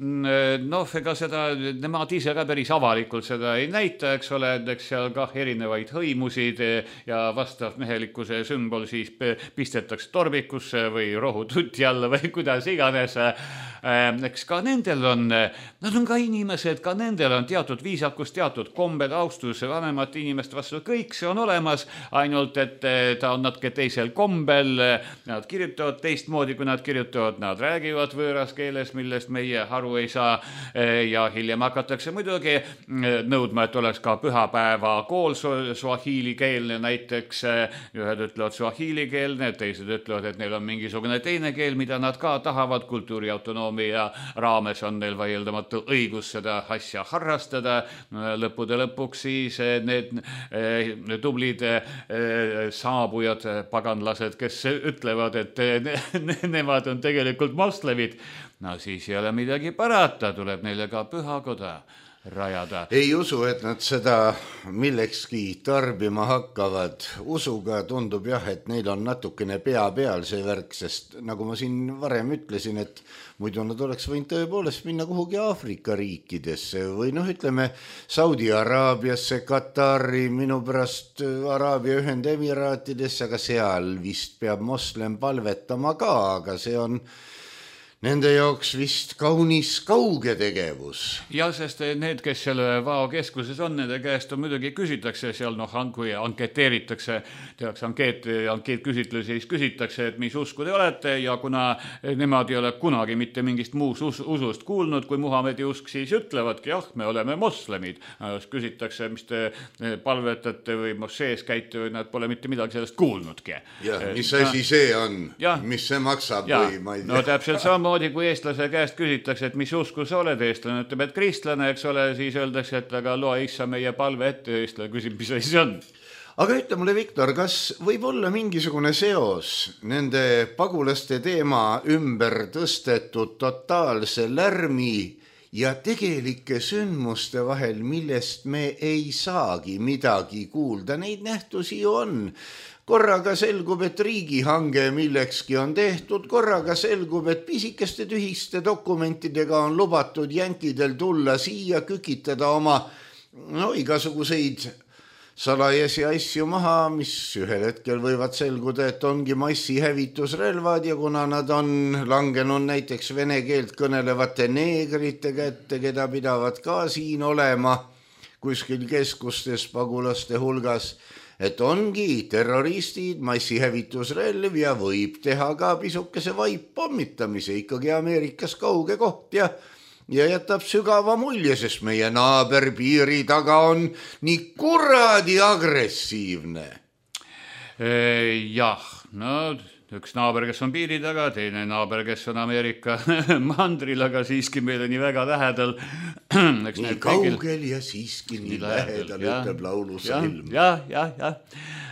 noh, ega seda, nemad ise ka päris avalikult seda ei näita, eks ole, eks seal ka erinevaid hõimusid ja vastav mehelikkuse sümbol siis pistetakse torbikusse või rohututi alla või kuidas iganes. Eks ka nendel on, nad on ka inimesed, ka nendel on teatud viisakus, teatud kombed, austus vanemate inimeste vastu, kõik see on olemas, ainult et ta on natuke teisel kombel, nad kirjutavad teistmoodi, kui nad kirjutavad, nad räägivad võõras keeles, millest meie haru ei saa ja hiljem hakatakse muidugi nõudma, et oleks ka pühapäeva kool suahiili keelne, näiteks ühed ütlevad suahiili keelne, teised ütlevad, et neil on mingisugune teine keel, mida nad ka tahavad, kultuuri autonoomia raames on neil vaieldamatu õigus seda asja harrastada, lõppude lõpuks siis need tublid saabujad, paganlased, kes ütlevad, et nemad on tegelikult moslemid, no siis ei ole midagi parata, tuleb neile ka pühakoda rajada. Ei usu, et nad seda millekski tarbima hakkavad. Usuga tundub jah, et neil on natukene pea peal see värk, sest nagu ma siin varem ütlesin, et muidu nad oleks võinud tõepoolest minna kuhugi Aafrika riikidesse või noh, ütleme Saudi Araabiasse, Katari, minu pärast Araabia Ühendemiraatidesse, aga seal vist peab moslem palvetama ka, aga see on nende jaoks vist kaunis kauge tegevus. Ja, sest need, kes selle Vao keskuses on, nende käest on muidugi küsitakse seal, noh, kui anketeeritakse, tehakse ankeet, ankeet küsitlusi, siis küsitakse, et mis usku te olete ja kuna nemad ei ole kunagi mitte mingist muus us usust kuulnud, kui Muhamedi usk, siis ütlevadki, jah, me oleme moslemid. Küsitakse, mis te palvetate või mošees käite või nad pole mitte midagi sellest kuulnudki. Ja, mis asi see on? Ja, mis see maksab ja, või ma ei tea? No täpselt sama moodi, kui eestlase käest küsitakse, et mis usku sa oled, eestlane ütleb, et kristlane, eks ole, siis öeldakse, et aga loe issa meie palve ette, eestlane küsib, mis asi on. Aga ütle mulle, Viktor, kas võib olla mingisugune seos nende pagulaste teema ümber tõstetud totaalse lärmi ja tegelike sündmuste vahel, millest me ei saagi midagi kuulda? Neid nähtusi ju on. Korraga selgub, et riigihange millekski on tehtud, korraga selgub, et pisikeste tühiste dokumentidega on lubatud jänkidel tulla siia, kükitada oma no, igasuguseid salajasi asju maha, mis ühel hetkel võivad selguda, et ongi massihävitusrelvad ja kuna nad on langenud näiteks vene keelt kõnelevate neegrite kätte, keda pidavad ka siin olema kuskil keskustes pagulaste hulgas, et ongi terroristid, massihävitusrelv ja võib teha ka pisukese vaip pommitamise, ikkagi Ameerikas kauge koht ja ja jätab sügava mulje, sest meie naaber piiri taga on nii kuradi agressiivne. Jah, no üks naaber, kes on piiri taga, teine naaber, kes on Ameerika mandril, aga siiski meile nii väga lähedal. Nii kaugel ja siiski nii lähedal, ütleb laulusalm. Jah, jah, jah.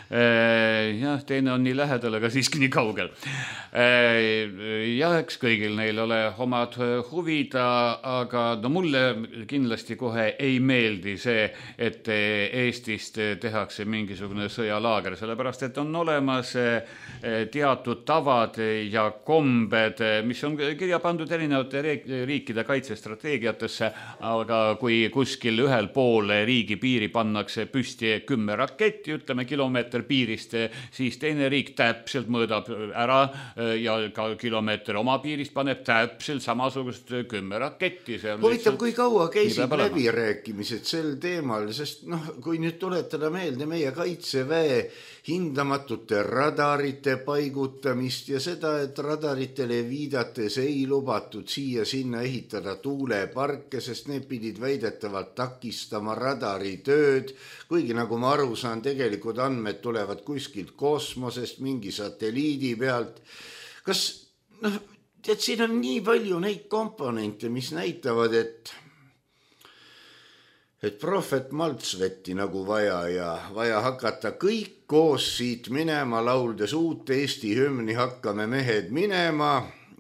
Jah, teine on nii lähedal, aga siiski nii kaugel. Jah, eks kõigil neil ole omad huvid, aga no mulle kindlasti kohe ei meeldi see, et Eestist tehakse mingisugune sõjalaager, sellepärast, et on olemas teatud tavad ja kombed, mis on kirja pandud erinevate riikide kaitsestrateegiatesse, aga kui kuskil ühel pool riigi piiri pannakse püsti kümme raketti, ütleme kilomeeter piirist, siis teine riik täpselt mõõdab ära ja ka kilomeeter oma piirist paneb täpselt samasugust kümme raketti. Huvitav, kui kaua käisid läbirääkimised sel teemal, sest noh, kui nüüd tuletada meelde meie kaitseväe hindamatute radarite paigutamist ja seda, et radaritele viidates ei lubatud siia sinna ehitada tuuleparke, sest need pidid väidetavalt takistama radaritööd, kuigi nagu ma aru saan, tegelikult andmed tulevad kuskilt kosmosest, mingi satelliidi pealt. Kas, noh, tead, siin on nii palju neid komponente, mis näitavad, et et prohvet maltsvetti nagu vaja ja vaja hakata kõik koos siit minema, lauldes uut Eesti hümni hakkame mehed minema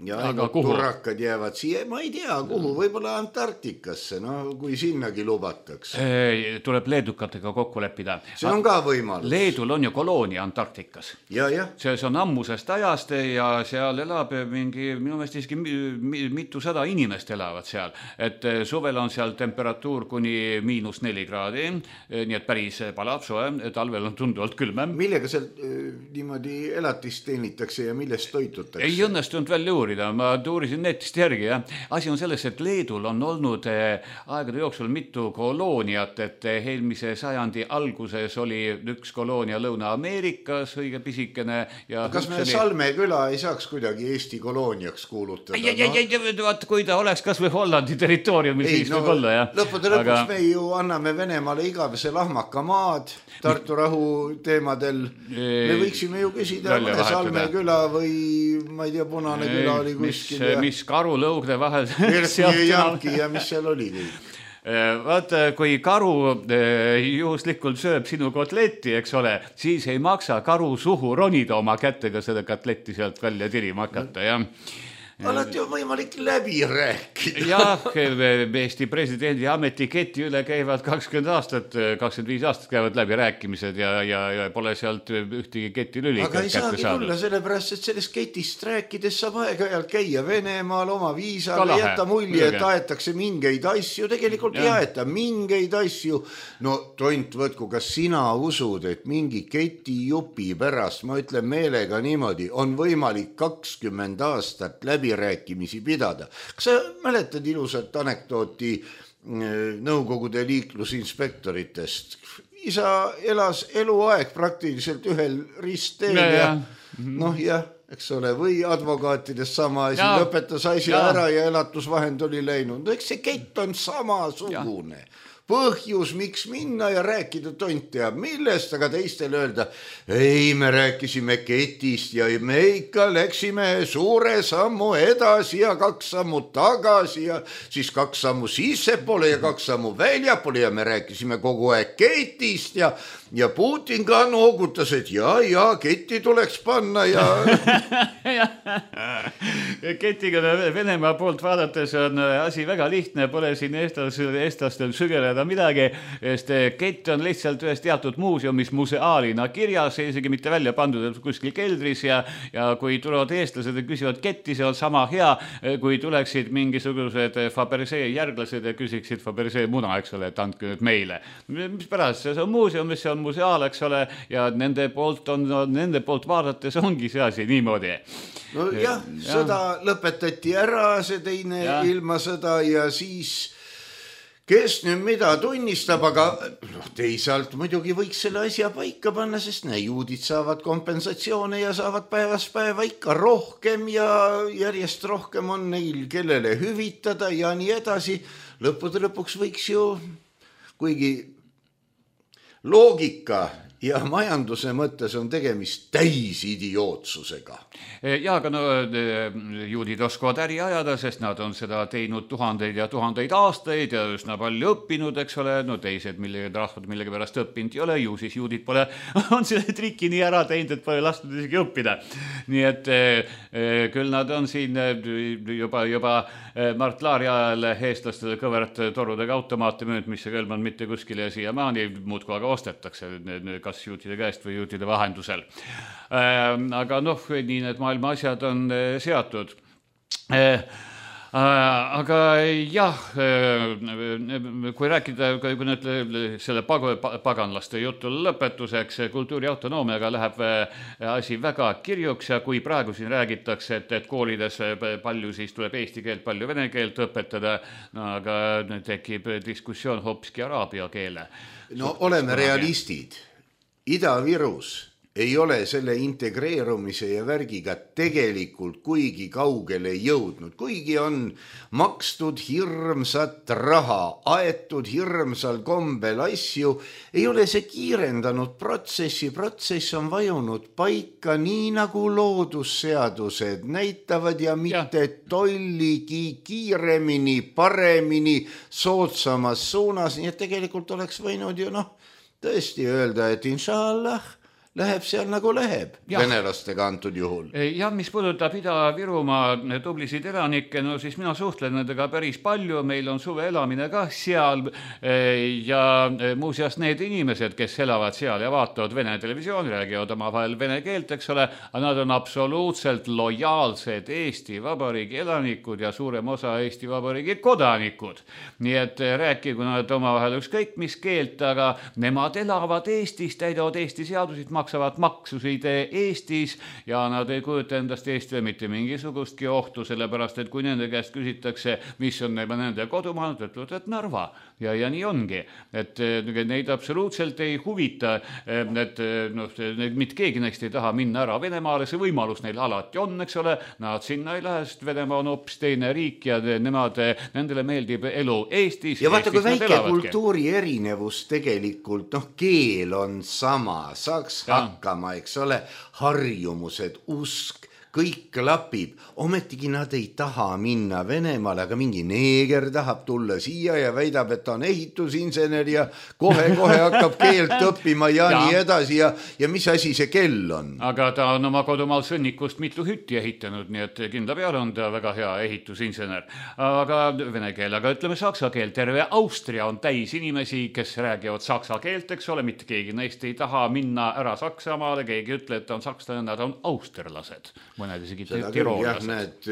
ja ainult turrakad jäävad siia, ma ei tea, kuhu, võib-olla Antarktikasse, no kui sinnagi lubatakse. Tuleb leedukatega kokku leppida. See on ka võimalus. Leedul on ju koloonia Antarktikas. Ja, ja. See on ammusest ajast ja seal elab mingi, minu meelest iski mitu sada inimest elavad seal. Et suvel on seal temperatuur kuni miinus neli kraadi, nii et päris palab soe, talvel on tunduvalt külmem. Millega seal niimoodi elatist teenitakse ja millest toitutakse? Ei õnnestunud veel juuri. Ma tuurisin netist järgi. Ja. Asi on selles, et Leedul on olnud aegade jooksul mitu kolooniat, et eelmise sajandi alguses oli üks koloonia Lõuna-Ameerikas, õige pisikene. Ja kas me oli... Salme küla ei saaks kuidagi Eesti kolooniaks kuulutada? Ja, ja, ja, ja, vaat, kui ta oleks kas või Hollandi territooriumil, siis no, võib olla. Ja. Lõppude lõpuks aga... me ju anname Venemaale igavese lahmaka maad Tartu rahu teemadel. Me võiksime ju küsida mõne Salme küla või ma ei tea, Punane küla oli kuskil. Mis, mis karu lõugne vahel. Janki ja mis seal oli kõik. Vaata, kui karu juhuslikult sööb sinu kotletti, eks ole, siis ei maksa karu suhu ronida oma kätega seda kotletti sealt välja tirima hakata, jah. Alati on võimalik läbi rääkida. Jah, Eesti presidendi ametiketi üle käivad kakskümmend aastat, kakskümmend viis aastat käivad läbi rääkimised ja, ja, ja pole sealt ühtegi keti lüli aga ei saagi tulla, sellepärast, et sellest ketist rääkides saab aeg-ajalt käia Venemaal oma viisaga, jätta mulje, et aetakse mingeid asju, tegelikult ei aeta mingeid asju. No tont võtku, kas sina usud, et mingi keti jupi pärast, ma ütlen meelega niimoodi, on võimalik kakskümmend aastat läbi rääkimisi pidada. Kas sa mäletad ilusat anekdooti Nõukogude liiklusinspektoritest? Isa elas eluaeg praktiliselt ühel ristteel ja, ja noh jah, eks ole, või advokaatidest sama asi, lõpetas asi ja. Ära ja elatusvahend oli läinud. No eks see kett on samasugune. Ja. Põhjus, miks minna ja rääkida tont teab millest, aga teistele öelda, ei, me rääkisime ketist ja me ikka läksime suure sammu edasi ja kaks sammu tagasi ja siis kaks sammu sissepoole ja kaks sammu väljapoole ja me rääkisime kogu aeg ketist ja, ja Putin ka noogutas, et ja, ja ketti tuleks panna ja... Ketiga Venemaa poolt vaadates on asi väga lihtne, pole siin eestlastel sügeleda midagi, sest kett on lihtsalt ühes teatud muuseumis museaalina kirjas, isegi mitte välja pandud kuskil keldris ja, ja kui tulevad eestlased ja küsivad ketti, see on sama hea, kui tuleksid mingisugused Fabergé järglased ja küsiksid Fabergé muna, eks ole, et andke nüüd meile. Mis pärast, see on muuseumis, see on museaal, eks ole, ja nende poolt, on, nende poolt vaadates ongi see asi niimoodi. No jah, sõda lõpetati ära, see teine ja. Ilma sõda ja siis kes nüüd mida tunnistab, aga noh, teisalt muidugi võiks selle asja paika panna, sest ne, juudid saavad kompensatsioone ja saavad päevast päeva ikka rohkem ja järjest rohkem on neil, kellele hüvitada ja nii edasi. Lõppude lõpuks võiks ju, kuigi loogika ja majanduse mõttes on tegemist täis idiootsusega. Ja, aga no juudid oskavad äri ajada, sest nad on seda teinud tuhandeid ja tuhandeid aastaid ja üsna palju õppinud, eks ole, no teised millega rahvad millega pärast õppinud ei ole, ju siis juudid pole, on selle triki nii ära teinud, et pole lastud isegi õppida. Nii et küll nad on siin juba, juba Mart Laari ajal eestlastele kõvert torudega automaate müünud, mis ei kõlmanud mitte kuskile ja siia maani muudku aga ostetakse kas juutide käest või juutide vahendusel. Aga noh, nii need maailma asjad on seatud. Aga jah, kui rääkida, kui nüüd selle paganlaste jutu lõpetuseks, kultuuri autonoomiaga läheb asi väga kirjuks ja kui praegu siin räägitakse, et, et koolides palju siis tuleb eesti keelt, palju vene keelt õpetada, no aga tekib diskussioon hoopiski araabia keele. No oleme realistid. Ida-Virus ei ole selle integreerumise ja värgiga tegelikult kuigi kaugele jõudnud, kuigi on makstud hirmsat raha, aetud hirmsal kombel asju, ei ole see kiirendanud protsessi, protsess on vajunud paika nii nagu loodusseadused näitavad ja mitte ja. tolligi kiiremini, paremini, soodsamas suunas, nii et tegelikult oleks võinud ju noh, tõesti öelda, et inshallah läheb seal nagu läheb ja. venelastega antud juhul. Ja mis puudutab Ida-Virumaa tublisid elanikke, no siis mina suhtlen nendega päris palju, meil on suve elamine ka seal ja muuseas need inimesed, kes elavad seal ja vaatavad vene televisiooni, räägivad oma vahel vene keelt, eks ole, aga nad on absoluutselt lojaalsed Eesti Vabariigi elanikud ja suurem osa Eesti Vabariigi kodanikud. Nii et rääkigu nad oma vahel ükskõik mis keelt, aga nemad elavad Eestis, täidavad Eesti seadusid, maksavad maksusid Eestis ja nad ei kujuta endast Eestile mitte mingisugustki ohtu, sellepärast et kui nende käest küsitakse, mis on nende kodumaa, nad ütlevad, et Narva. Ja, ja nii ongi, et neid absoluutselt ei huvita, et noh, mitte keegi neist ei taha minna ära Venemaale, see võimalus neil alati on, eks ole, nad sinna ei lähe, sest Venemaa on hoopis teine riik ja nemad, nendele meeldib elu Eestis. Ja vaata, kui väike kultuuri erinevus tegelikult, noh, keel on sama, saaks ja. hakkama, eks ole, harjumused, usk, kõik klapib, ometigi nad ei taha minna Venemaale, aga mingi neeger tahab tulla siia ja väidab, et ta on ehitusinsener ja kohe-kohe hakkab keelt õppima ja, ja nii edasi ja, ja mis asi see kell on? Aga ta on oma kodumaal sõnnikust mitu hütti ehitanud, nii et kindla peale on ta väga hea ehitusinsener. Aga vene keel, aga ütleme saksa keel, terve Austria on täis inimesi, kes räägivad saksa keelt, eks ole, mitte keegi neist ei taha minna ära Saksamaale, keegi ütle, et ta on sakslane, nad on austerlased. Mõned isegi tiroolased. Need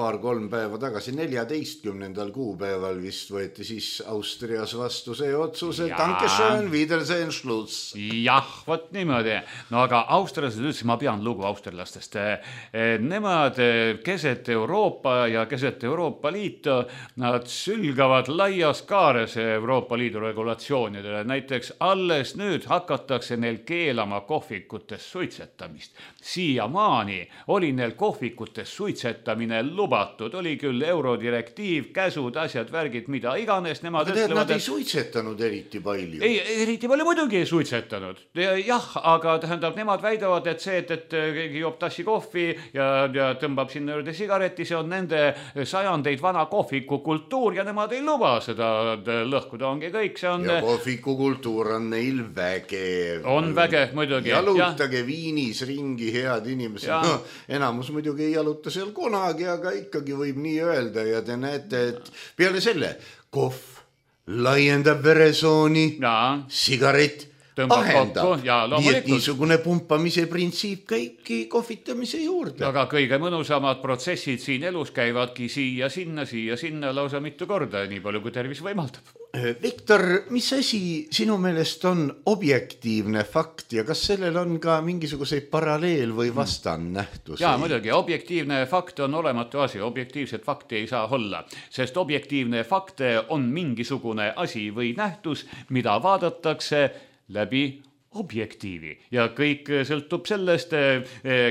paar-kolm päeva tagasi, neljateistkümnendal kuupäeval vist võeti siis Austrias vastu see otsus, et Dankeschön, Wiedersehen, Schluss. Jah, võt niimoodi. No aga austerlased üldse, ma pean lugu austerlastest. Nemad keset Euroopa ja keset Euroopa Liitu, nad sülgavad laias kaares Euroopa Liidu regulatsioonidele. Näiteks alles nüüd hakatakse neil keelama kohvikutes suitsetamist. Siiamaani oli neil kohvikutes suitsetamine lubatud, oli küll eurodirektiiv, käsud, asjad, värgid, mida iganes, nemad aga ütlevad, nad ei suitsetanud eriti palju. Ei, eriti palju muidugi ei suitsetanud. Jah, aga tähendab, nemad väidavad, et see, et, et keegi joob tassi kohvi ja, ja tõmbab sinna juurde sigareti, see on nende sajandeid vana kohviku kultuur ja nemad ei luba seda lõhkuda, ongi kõik. See on... Ja kohviku kultuur on neil vägev. On vägev, muidugi. Jalutage ja. Viinis ringi, head inimesed. No, enamus muidugi ei jaluta seal kunagi, aga ikkagi võib nii öelda ja te näete, et peale selle kohv laiendab veresooni, sigaret ahendab. Nii et niisugune pumpamise printsiip käibki kohvitamise juurde. Aga kõige mõnusamad protsessid siin elus käivadki siia, sinna, siia, sinna lausa mitu korda, nii palju kui tervis võimaldab. Viktor, mis asi sinu meelest on objektiivne fakt ja kas sellel on ka mingisuguseid paralleel või vastannähtusi? Jaa, muidugi, objektiivne fakt on olematu asi, objektiivset fakti ei saa olla, sest objektiivne fakt on mingisugune asi või nähtus, mida vaadatakse läbi objektiivi ja kõik sõltub sellest,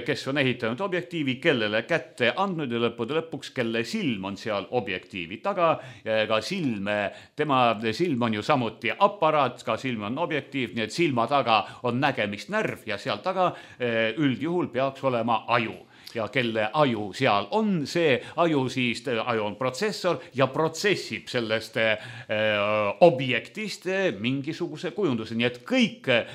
kes on ehitanud objektiivi, kellele kätte andnud ja lõppude lõpuks, kelle silm on seal objektiivi taga ja ka silm, tema silm on ju samuti aparaat, ka silm on objektiiv, nii et silma taga on nägemisnärv ja seal taga üldjuhul peaks olema aju. Ja kelle aju seal on, see aju siis, aju on protsessor ja protsessib sellest äh, objektist mingisuguse kujunduse, nii et kõik äh,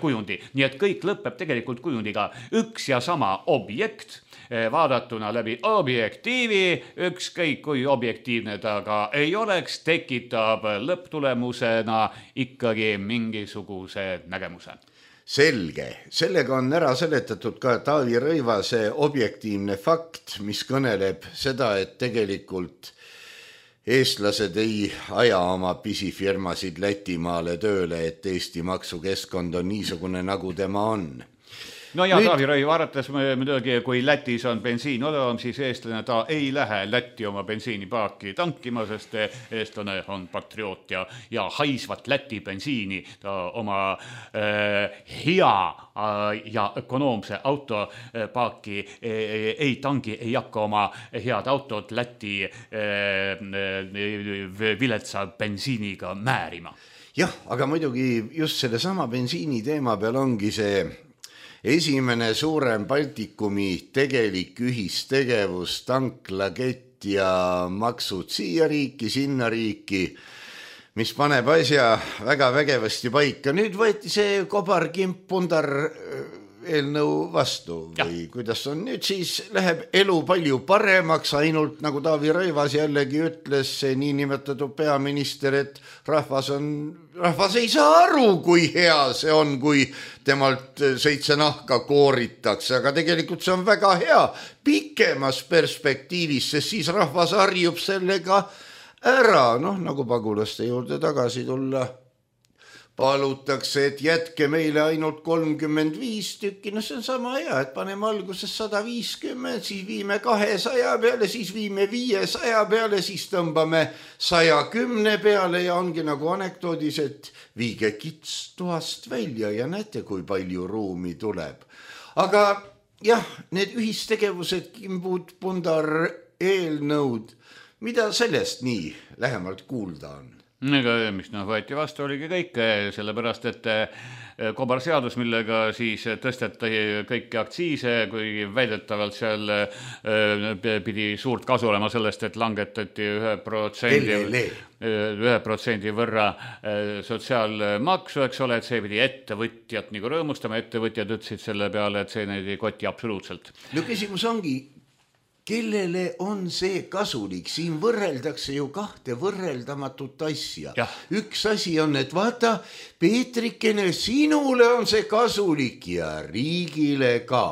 kujundi, nii et kõik lõpeb tegelikult kujundiga üks ja sama objekt, äh, vaadatuna läbi objektiivi, ükskõik kui objektiivne ta ka ei oleks, tekitab lõpptulemusena ikkagi mingisuguse nägemuse. Selge, sellega on ära seletatud ka Taavi Rõivase objektiivne fakt, mis kõneleb seda, et tegelikult eestlased ei aja oma pisifirmasid Lätimaale tööle, et Eesti maksukeskkond on niisugune, nagu tema on. No ja Nüüd... Taavi Rõiva arvates muidugi, kui Lätis on bensiin odavam, siis eestlane ta ei lähe Lätti oma bensiinipaaki tankima, sest eestlane on patrioot ja, ja haisvat Läti bensiini ta oma äh, hea äh, ja ökonoomse autopaaki äh, ei tangi, ei hakka oma head autot Läti äh, viletsa bensiiniga määrima. Jah, aga muidugi just selle sama bensiini teema peal ongi see esimene suurem Baltikumi tegelik ühistegevus, tanklakett ja maksud siia riiki, sinna riiki, mis paneb asja väga vägevasti paika. Nüüd võeti see kobarkimp pundar eelnõu vastu või ja. Kuidas on nüüd, siis läheb elu palju paremaks, ainult nagu Taavi Rõivas jällegi ütles, see niinimetatud peaminister, et rahvas on, rahvas ei saa aru, kui hea see on, kui temalt seitse nahka kooritakse, aga tegelikult see on väga hea pikemas perspektiivis, sest siis rahvas harjub sellega ära, noh nagu pagulaste juurde tagasi tulla. Palutakse, et jätke meile ainult kolmkümmend viis tükki, no see on sama hea, et paneme alguses sada viiskümmend, siis viime kahesaja peale, siis viime viiesaja peale, siis tõmbame saja kümne peale ja ongi nagu anekdoodis, et viige kits toast välja ja näete, kui palju ruumi tuleb. Aga jah, need ühistegevused, kimbud, pundar, eelnõud, mida sellest nii lähemalt kuulda on? Ega, mis noh, võeti vastu oligi kõik, sellepärast, et kobarseadus, millega siis tõsteti kõiki aktsiise, kui väidetavalt seal pidi suurt kasu olema sellest, et langetati ühe protsendi, ühe protsendi võrra sotsiaalmaksu, eks ole, et see pidi ettevõtjat nagu rõõmustama, ettevõtjad ütlesid selle peale, et see neid ei koti absoluutselt. No küsimus ongi, kellele on see kasulik? Siin võrreldakse ju kahte võrreldamatut asja. Ja. Üks asi on, et vaata, Peetrikene, sinule on see kasulik ja riigile ka.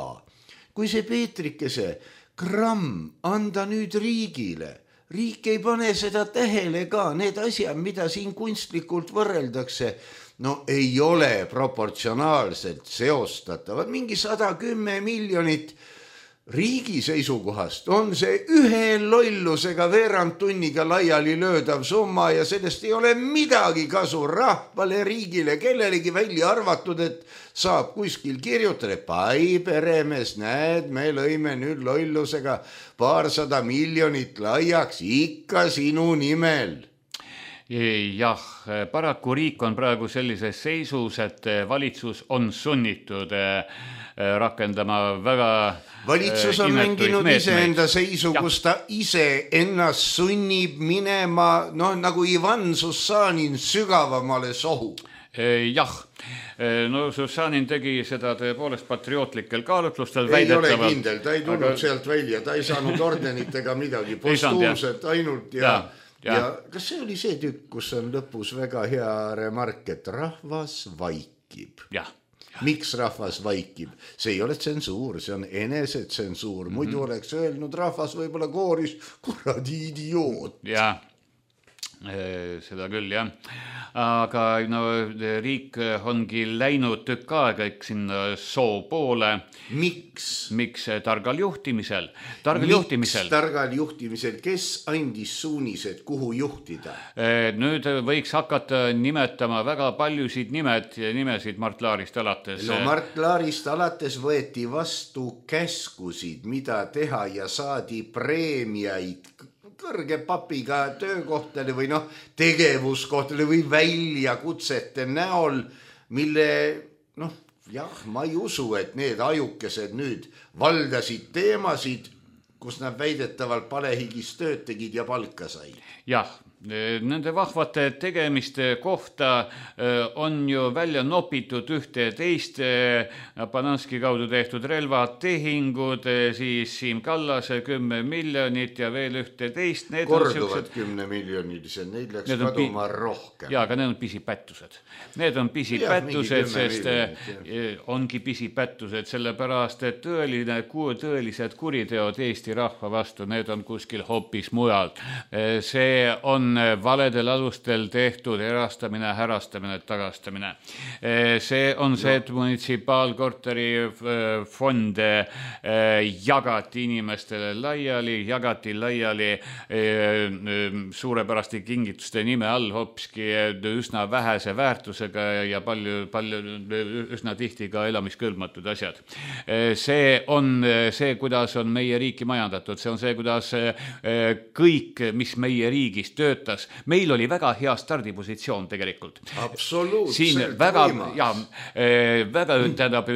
Kui see Peetrikese gramm anda nüüd riigile, riik ei pane seda tähele ka, need asjad, mida siin kunstlikult võrreldakse, no ei ole proportsionaalselt seostatavad. Mingi sada kümme miljonit riigi seisukohast on see ühe lollusega veerand tunniga laiali löödav summa ja sellest ei ole midagi kasu rahvale, riigile, kellelegi välja arvatud, et saab kuskil kirjutada, pai peremees, näed, me lõime nüüd lollusega paarsada miljonit laiaks ikka sinu nimel. Jah, paraku riik on praegu sellises seisus, et valitsus on sunnitud rakendama väga valitsus on mänginud iseenda seisu, kus ta ise ennast sunnib minema, noh nagu Ivan Sussanin sügavamale sohu. Jah, no Sussanin tegi seda tõepoolest patriootlikel kaalutlustel. Ei ole kindel, ta ei tulnud aga... sealt välja, ta ei saanud ordenit ega midagi, postuumset ainult ja, ja... ja kas see oli see tükk, kus on lõpus väga hea remark, et rahvas vaikib? vaikib. jah. Miks rahvas vaikib? See ei ole tsensuur, see on enesetsensuur. Muidu mm-hmm. oleks öelnud rahvas võib-olla kooris, kuradi idioot. Jah, seda küll, jah. Aga no, riik ongi läinud tükk aega sinna soo poole. Miks? Miks targal juhtimisel? Targal Miks juhtimisel? targal juhtimisel? Kes andis suunised, kuhu juhtida? Nüüd võiks hakata nimetama väga paljusid nimed, nimesid Mart Laarist alates. No Mart Laarist alates võeti vastu käskusid, mida teha ja saadi preemiaid kõrge papiga töökohtale või noh, tegevuskohtale või väljakutsete näol, mille noh, jah, ma ei usu, et need ajukesed nüüd valdasid teemasid, kus nad väidetavalt palehigis tööd tegid ja palka said. Jah, nende vahvate tegemiste kohta on ju välja nopitud ühte teist Pananski kaudu tehtud relvatehingud, siis Siim Kallase kümme miljonit ja veel ühte teist. Korduvad kümne miljonilised, neid läks kaduma pi- rohkem. Jaa, aga need on pisipättused. Need on pisipättused, sest miljonit, ongi pisipättused, sellepärast, et tõeline, tõelised kuriteod Eesti rahva vastu, need on kuskil hoopis mujal. See on valedel alustel tehtud erastamine, härastamine, tagastamine. See on see, et munitsipaalkorteri fonde jagati inimestele laiali, jagati laiali suurepäraste kingituste nime all hopski üsna vähese väärtusega ja palju, palju, üsna tihti ka elamiskõlbmatud asjad. See on see, kuidas on meie riiki majandatud. See on see, kuidas kõik, mis meie riigis töötab, meil oli väga hea stardipositsioon tegelikult. Absoluutselt. Siin väga, ja, väga tähendab,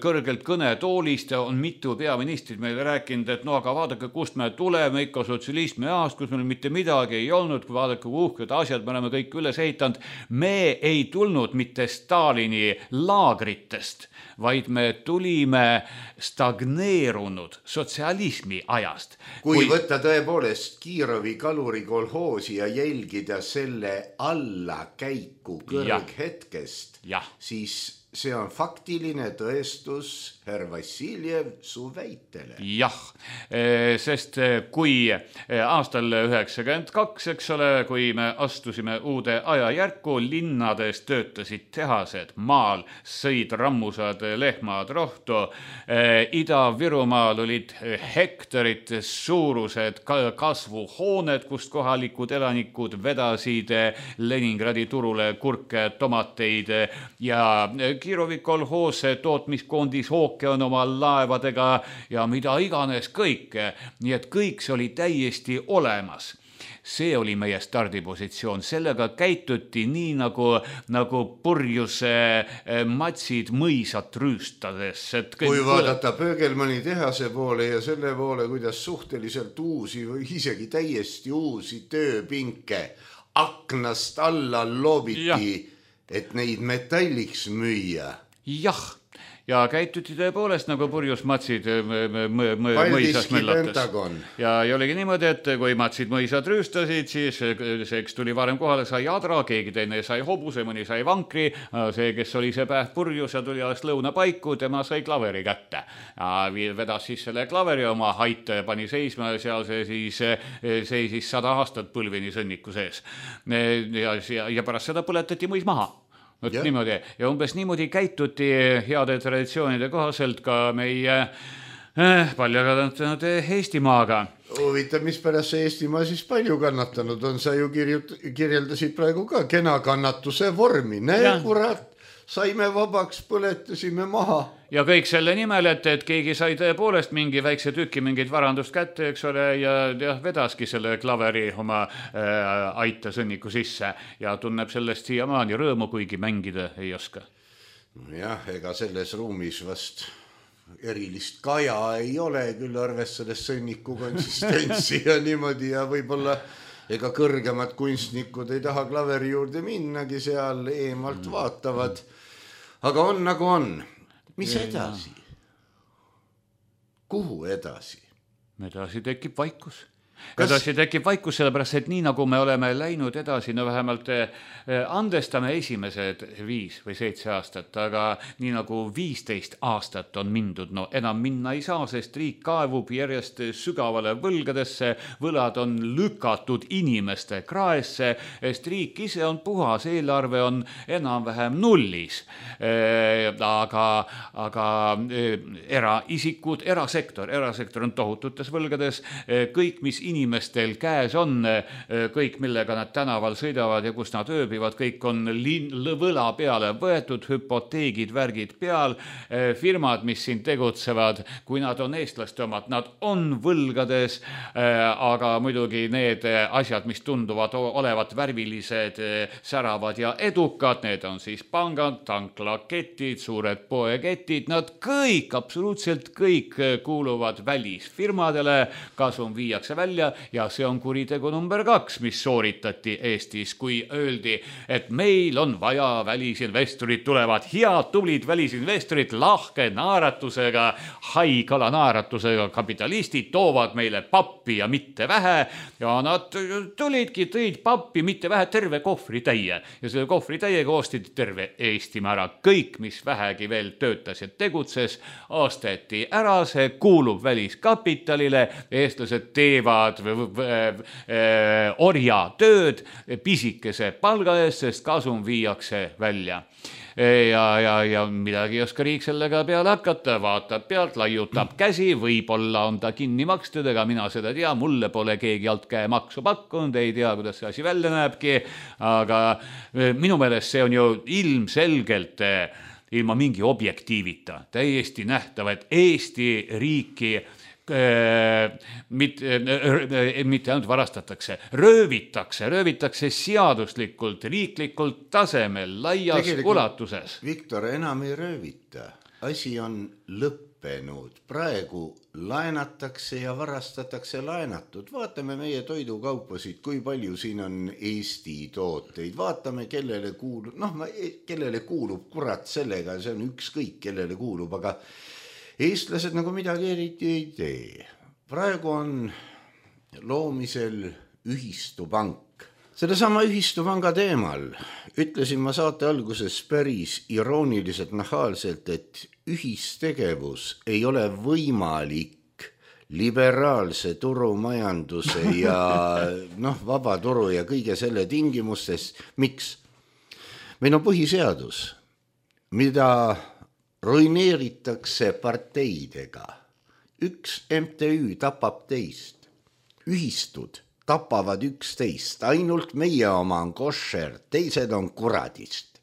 kõrgelt kõnetoolist on mitu peaministrit meile rääkinud, et no aga vaadake, kust me tuleme ikka sotsialismi aast, kus meil mitte midagi ei olnud, kui vaadake uhked asjad, me oleme kõik üles ehitanud. Me ei tulnud mitte Stalini laagritest, vaid me tulime stagneerunud sotsialismi ajast. Kui, kui võtta tõepoolest Kiirovi kaluri kolhoosi ja jälgida selle allakäiku kõrghetkest, siis see on faktiline tõestus herr Vassiljev su väitele. Jah, sest kui aastal üheksakümmend kaks, eks ole, kui me astusime uude ajajärku, linnades töötasid tehased, maal sõid rammusad lehmad rohtu, Ida-Virumaal olid hektarid suurused kasvuhooned, kust kohalikud elanikud vedasid Leningradi turule kurke, tomateid ja Kiirovi kolhoos tootmiskoondis hooke on oma laevadega ja mida iganes kõike. Nii et kõik see oli täiesti olemas. See oli meie stardipositsioon. Sellega käituti nii nagu, nagu purjuse matsid mõisat rüüstades. Et kui vaadata Pöögelmanni tehase poole ja selle poole, kuidas suhteliselt uusi või isegi täiesti uusi tööpinke aknast alla loobiti, ja. Et neid metalliks müüa. Jah, ja käituti tõepoolest nagu purjus matsid mõisas möllates. Ja ei oligi niimoodi, et kui matsid mõisad rüüstasid, siis see, kes tuli varem kohale, sai adra, keegi teine sai hobuse, mõni sai vankri, see, kes oli see päev purjus ja tuli alles lõuna paiku, tema sai klaveri kätte. Ja vedas siis selle klaveri oma haite, pani seisma ja seal see siis seisis sada aastat põlvini sõnniku sees. Ja, ja, ja pärast seda põletati mõis maha. Ja. Niimoodi. Ja umbes niimoodi käituti heade traditsioonide kohaselt ka meie eh, palju kannatanud Eestimaaga. Huvitav, mis pärast see Eestimaa siis palju kannatanud on, sa ju kirjut, kirjeldasid praegu ka kena kannatuse vormi. Näe, kurat, saime vabaks, põletasime maha. Ja kõik selle nimel, et, et keegi sai tõepoolest mingi väikse tüki mingit varandust kätte, eks ole, ja, ja vedaski selle klaveri oma äh, aita sõnniku sisse ja tunneb sellest siiamaani rõõmu, kuigi mängida ei oska. Jah, ega selles ruumis vast erilist kaja ei ole, küll arvestades sõnniku konsistentsi ja niimoodi ja võib-olla ega kõrgemad kunstnikud ei taha klaveri juurde minnagi, seal eemalt vaatavad. Aga on nagu on. Mis edasi? Kuhu edasi? Edasi tekib vaikus. Kas... edasi tekib vaikus, sellepärast, et nii nagu me oleme läinud edasi, no vähemalt andestame esimesed viis või seitse aastat, aga nii nagu viisteist aastat on mindud, no enam minna ei saa, sest riik kaevub järjest sügavale võlgadesse, võlad on lükatud inimeste kraesse, sest riik ise on puhas, eelarve on enam-vähem nullis. Aga, aga eraisikud, erasektor, erasektor on tohututes võlgades, kõik, mis inimestel käes on, kõik, millega nad tänaval sõidavad ja kus nad ööbivad, kõik on lin- võla peale võetud, hüpoteegid, värgid peal, firmad, mis siin tegutsevad, kui nad on eestlaste omad, nad on võlgades, aga muidugi need asjad, mis tunduvad olevat värvilised, säravad ja edukad, need on siis pangad, tanklaketid, suured poeketid, nad kõik, absoluutselt kõik kuuluvad välisfirmadele, kasum viiakse välja ja see on kuritegu number kaks, mis sooritati Eestis, kui öeldi, et meil on vaja välisinvestorid, tulevad head, tublid välisinvestorid, lahke naeratusega, haikala naeratusega kapitalistid toovad meile pappi ja mitte vähe ja nad tulidki, tõid pappi mitte vähe, terve kohvri täie ja selle kohvri täiega ostid terve Eestimaa ära. Kõik, mis vähegi veel töötas ja tegutses, osteti ära, see kuulub väliskapitalile, eestlased teevad orja tööd pisikese palga eest, sest kasum viiakse välja. Ja, ja, ja midagi ei oska riik sellega peale hakata, vaatab pealt, laiutab käsi, võib-olla on ta kinni makstud, ega mina seda tea, mulle pole keegi alt käe maksu pakkunud, ei tea, kuidas see asi välja näebki, aga minu meelest see on ju ilmselgelt ilma mingi objektiivita, täiesti nähtav, et Eesti riiki mitte, mitte ainult varastatakse, röövitakse, röövitakse seaduslikult, riiklikult tasemel, laias tegelikult ulatuses. Viktor, enam ei röövita. Asi on lõppenud. Praegu laenatakse ja varastatakse laenatud. Vaatame meie toidukaupasid, kui palju siin on Eesti tooteid. Vaatame, kellele kuulub, noh, kellele kuulub kurat sellega, see on ükskõik, kellele kuulub, aga eestlased nagu midagi eriti ei tee. Praegu on loomisel ühistupank. Selle sama ühistupanga teemal ütlesin ma saate alguses päris irooniliselt nahaalselt, et ühistegevus ei ole võimalik liberaalse turumajanduse ja noh, vaba turu ja kõige selle tingimustes. Miks? Meil on põhiseadus, mida ruineeritakse parteidega. Üks M T Ü tapab teist. Ühistud tapavad üksteist. Ainult meie oma on košer, teised on kuradist.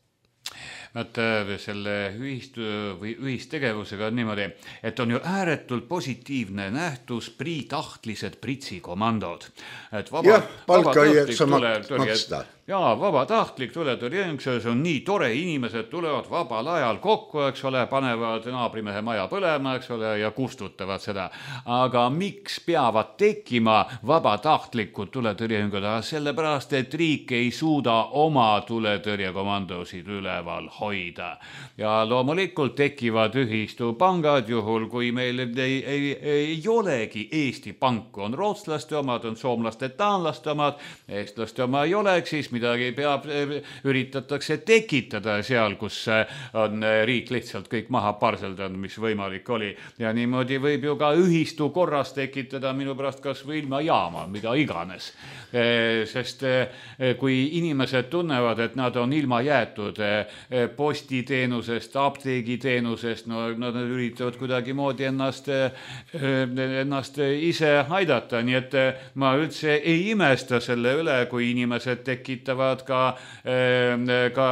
Nad selle ühist, või ühistegevusega on niimoodi, et on ju ääretult positiivne nähtus priitahtlised pritsikomandod. Et vaba, jah, palka ei jaksa maksta. Jaa, vabatahtlik tuletõrjeng, see on nii tore, inimesed tulevad vabal ajal kokku, eks ole, panevad naabrimehe maja põlema, eks ole, ja kustutavad seda. Aga miks peavad tekkima vabatahtlikud tuletõrjengud? Sellepärast, et riik ei suuda oma tuletõrjekomandosid üleval hoida. Ja loomulikult tekivad ühistupangad juhul, kui meil ei, ei, ei olegi Eesti panku. On rootslaste omad, on soomlaste, taanlaste omad, eestlaste oma ei oleks, siis midagi peab, üritatakse tekitada seal, kus on riik lihtsalt kõik maha parseldanud, mis võimalik oli. Ja niimoodi võib ju ka ühistu korras tekitada minu pärast kas või ilma jaama, mida iganes. Sest kui inimesed tunnevad, et nad on ilma jäetud postiteenusest, apteegiteenusest, no nad üritavad kuidagi moodi ennast, ennast ise aidata. Nii et ma üldse ei imesta selle üle, kui inimesed tekitavad ka, ka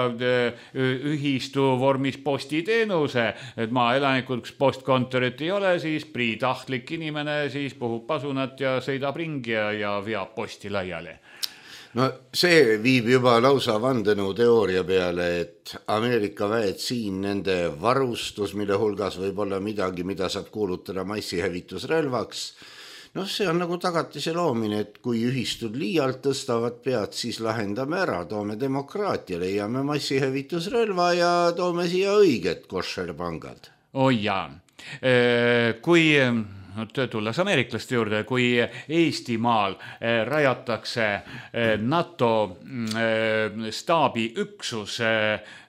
ühistu vormis postiteenuse, et maaelanikud, kus postkontorit ei ole, siis priitahtlik inimene siis puhub pasunat ja sõidab ringi ja, ja veab posti laiali. No see viib juba lausa vandenõu teooria peale, et Ameerika väed siin, nende varustus, mille hulgas võib olla midagi, mida saab kuulutada massihävitusrelvaks. No see on nagu tagatise loomine, et kui ühistud liialt tõstavad pead, siis lahendame ära, toome demokraatia, leiame massihävitusrelva ja toome siia õiget košerpangad. Oi jaa. Kui tulles ameeriklaste juurde, kui Eestimaal rajatakse NATO staabiüksus,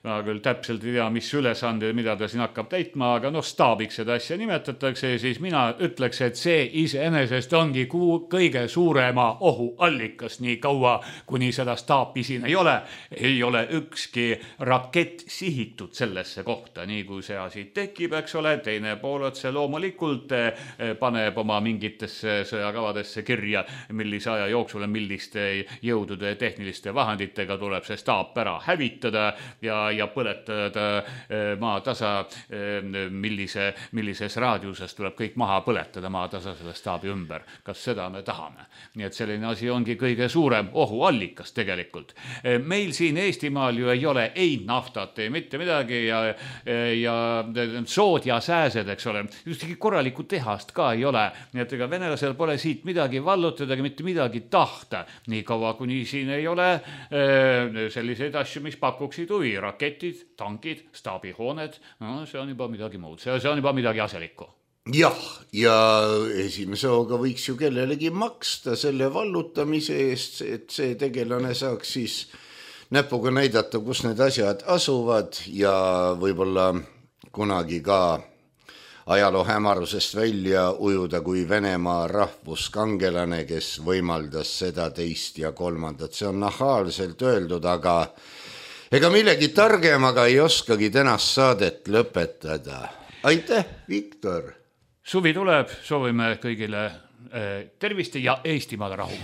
ma küll täpselt ei tea, mis ülesande, mida ta siin hakkab täitma, aga noh, staabiks seda asja nimetatakse, siis mina ütleks, et see iseenesest ongi kõige suurema ohu allikas, nii kaua, kuni seda staapi siin ei ole, ei ole ükski rakett sihitud sellesse kohta, nii kui see asi tekib, eks ole, teine pool otse loomulikult paneb oma mingitesse sõjakavadesse kirja, millise aja jooksul milliste jõudude tehniliste vahenditega tuleb see staap ära hävitada ja ja põletada maatasa, millise, millises raadiuses tuleb kõik maha põletada maatasa selle staabi ümber. Kas seda me tahame? Nii et selline asi ongi kõige suurem ohuallikas tegelikult. Meil siin Eestimaal ju ei ole ei naftat, ei mitte midagi ja, ja sood ja sääsed, eks ole. Justki korralikku tehast ka ei ole. Nii et ega venelasel pole siit midagi vallutada, mitte midagi tahta. Nii kaua, kuni siin ei ole selliseid asju, mis pakuksid huvi. Raketid, tankid, staabihooned, no see on juba midagi muud, see, see on juba midagi aselikku. Jah, ja esimese hooga võiks ju kellelegi maksta selle vallutamise eest, et see tegelane saaks siis näpuga näidata, kus need asjad asuvad ja võib-olla kunagi ka ajaloo hämarusest välja ujuda kui Venemaa rahvuskangelane, kes võimaldas seda teist ja kolmandat. See on nahaalselt öeldud, aga ega millegi targemaga ei oskagi tänast saadet lõpetada. Aitäh, Viktor! Suvi tuleb, soovime kõigile tervist ja Eestimaal rahu.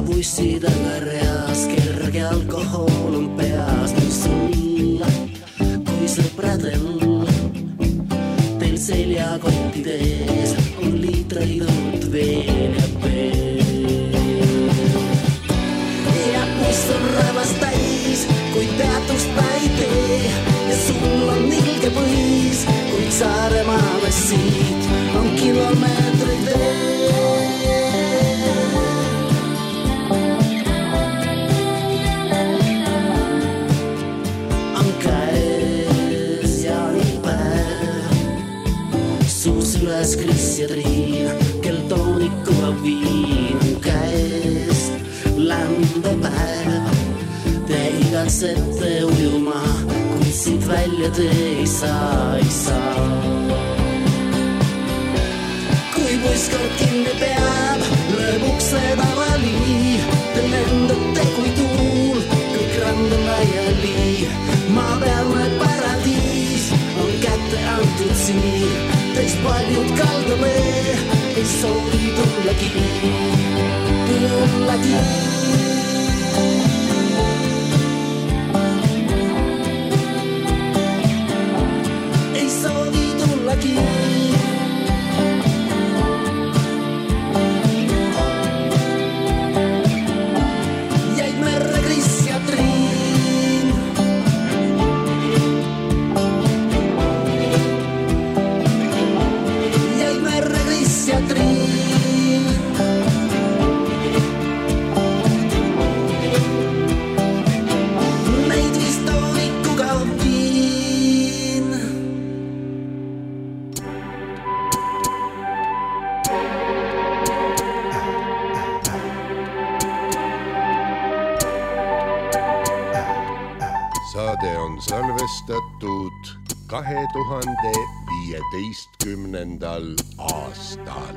Bussidella reas, kerge alkohol on peas, mis on nii, kui sõpradel. Teil seljakontides on liitreid õlut veel ja veel. Ja mis on rävas täis, kui peatust ta ei tee. Ja sul on ilge põis, kuid Saaremaale siit on kilomeetrid veel. Üles Kris ja Triin, kel toonikuga viin on käes. Lämbepäev, te igatsete ujuma, kuid siit välja te ei saa, ei saa. Kui puiskord kinni peab, lööb uksed avali, te lendate kui tuul, kõik rand on laiali. Maapealne paradiis on kätte antud siin. Teist paljud kaldame, ei soovi tullagi, tullagi. Ei soovi tullagi. Jäid merre Kris ja Triin. Ja Triin. Neid vist toonikuga viin. Saade on salvestatud kahe tuhande viieteistkümnendal aastal.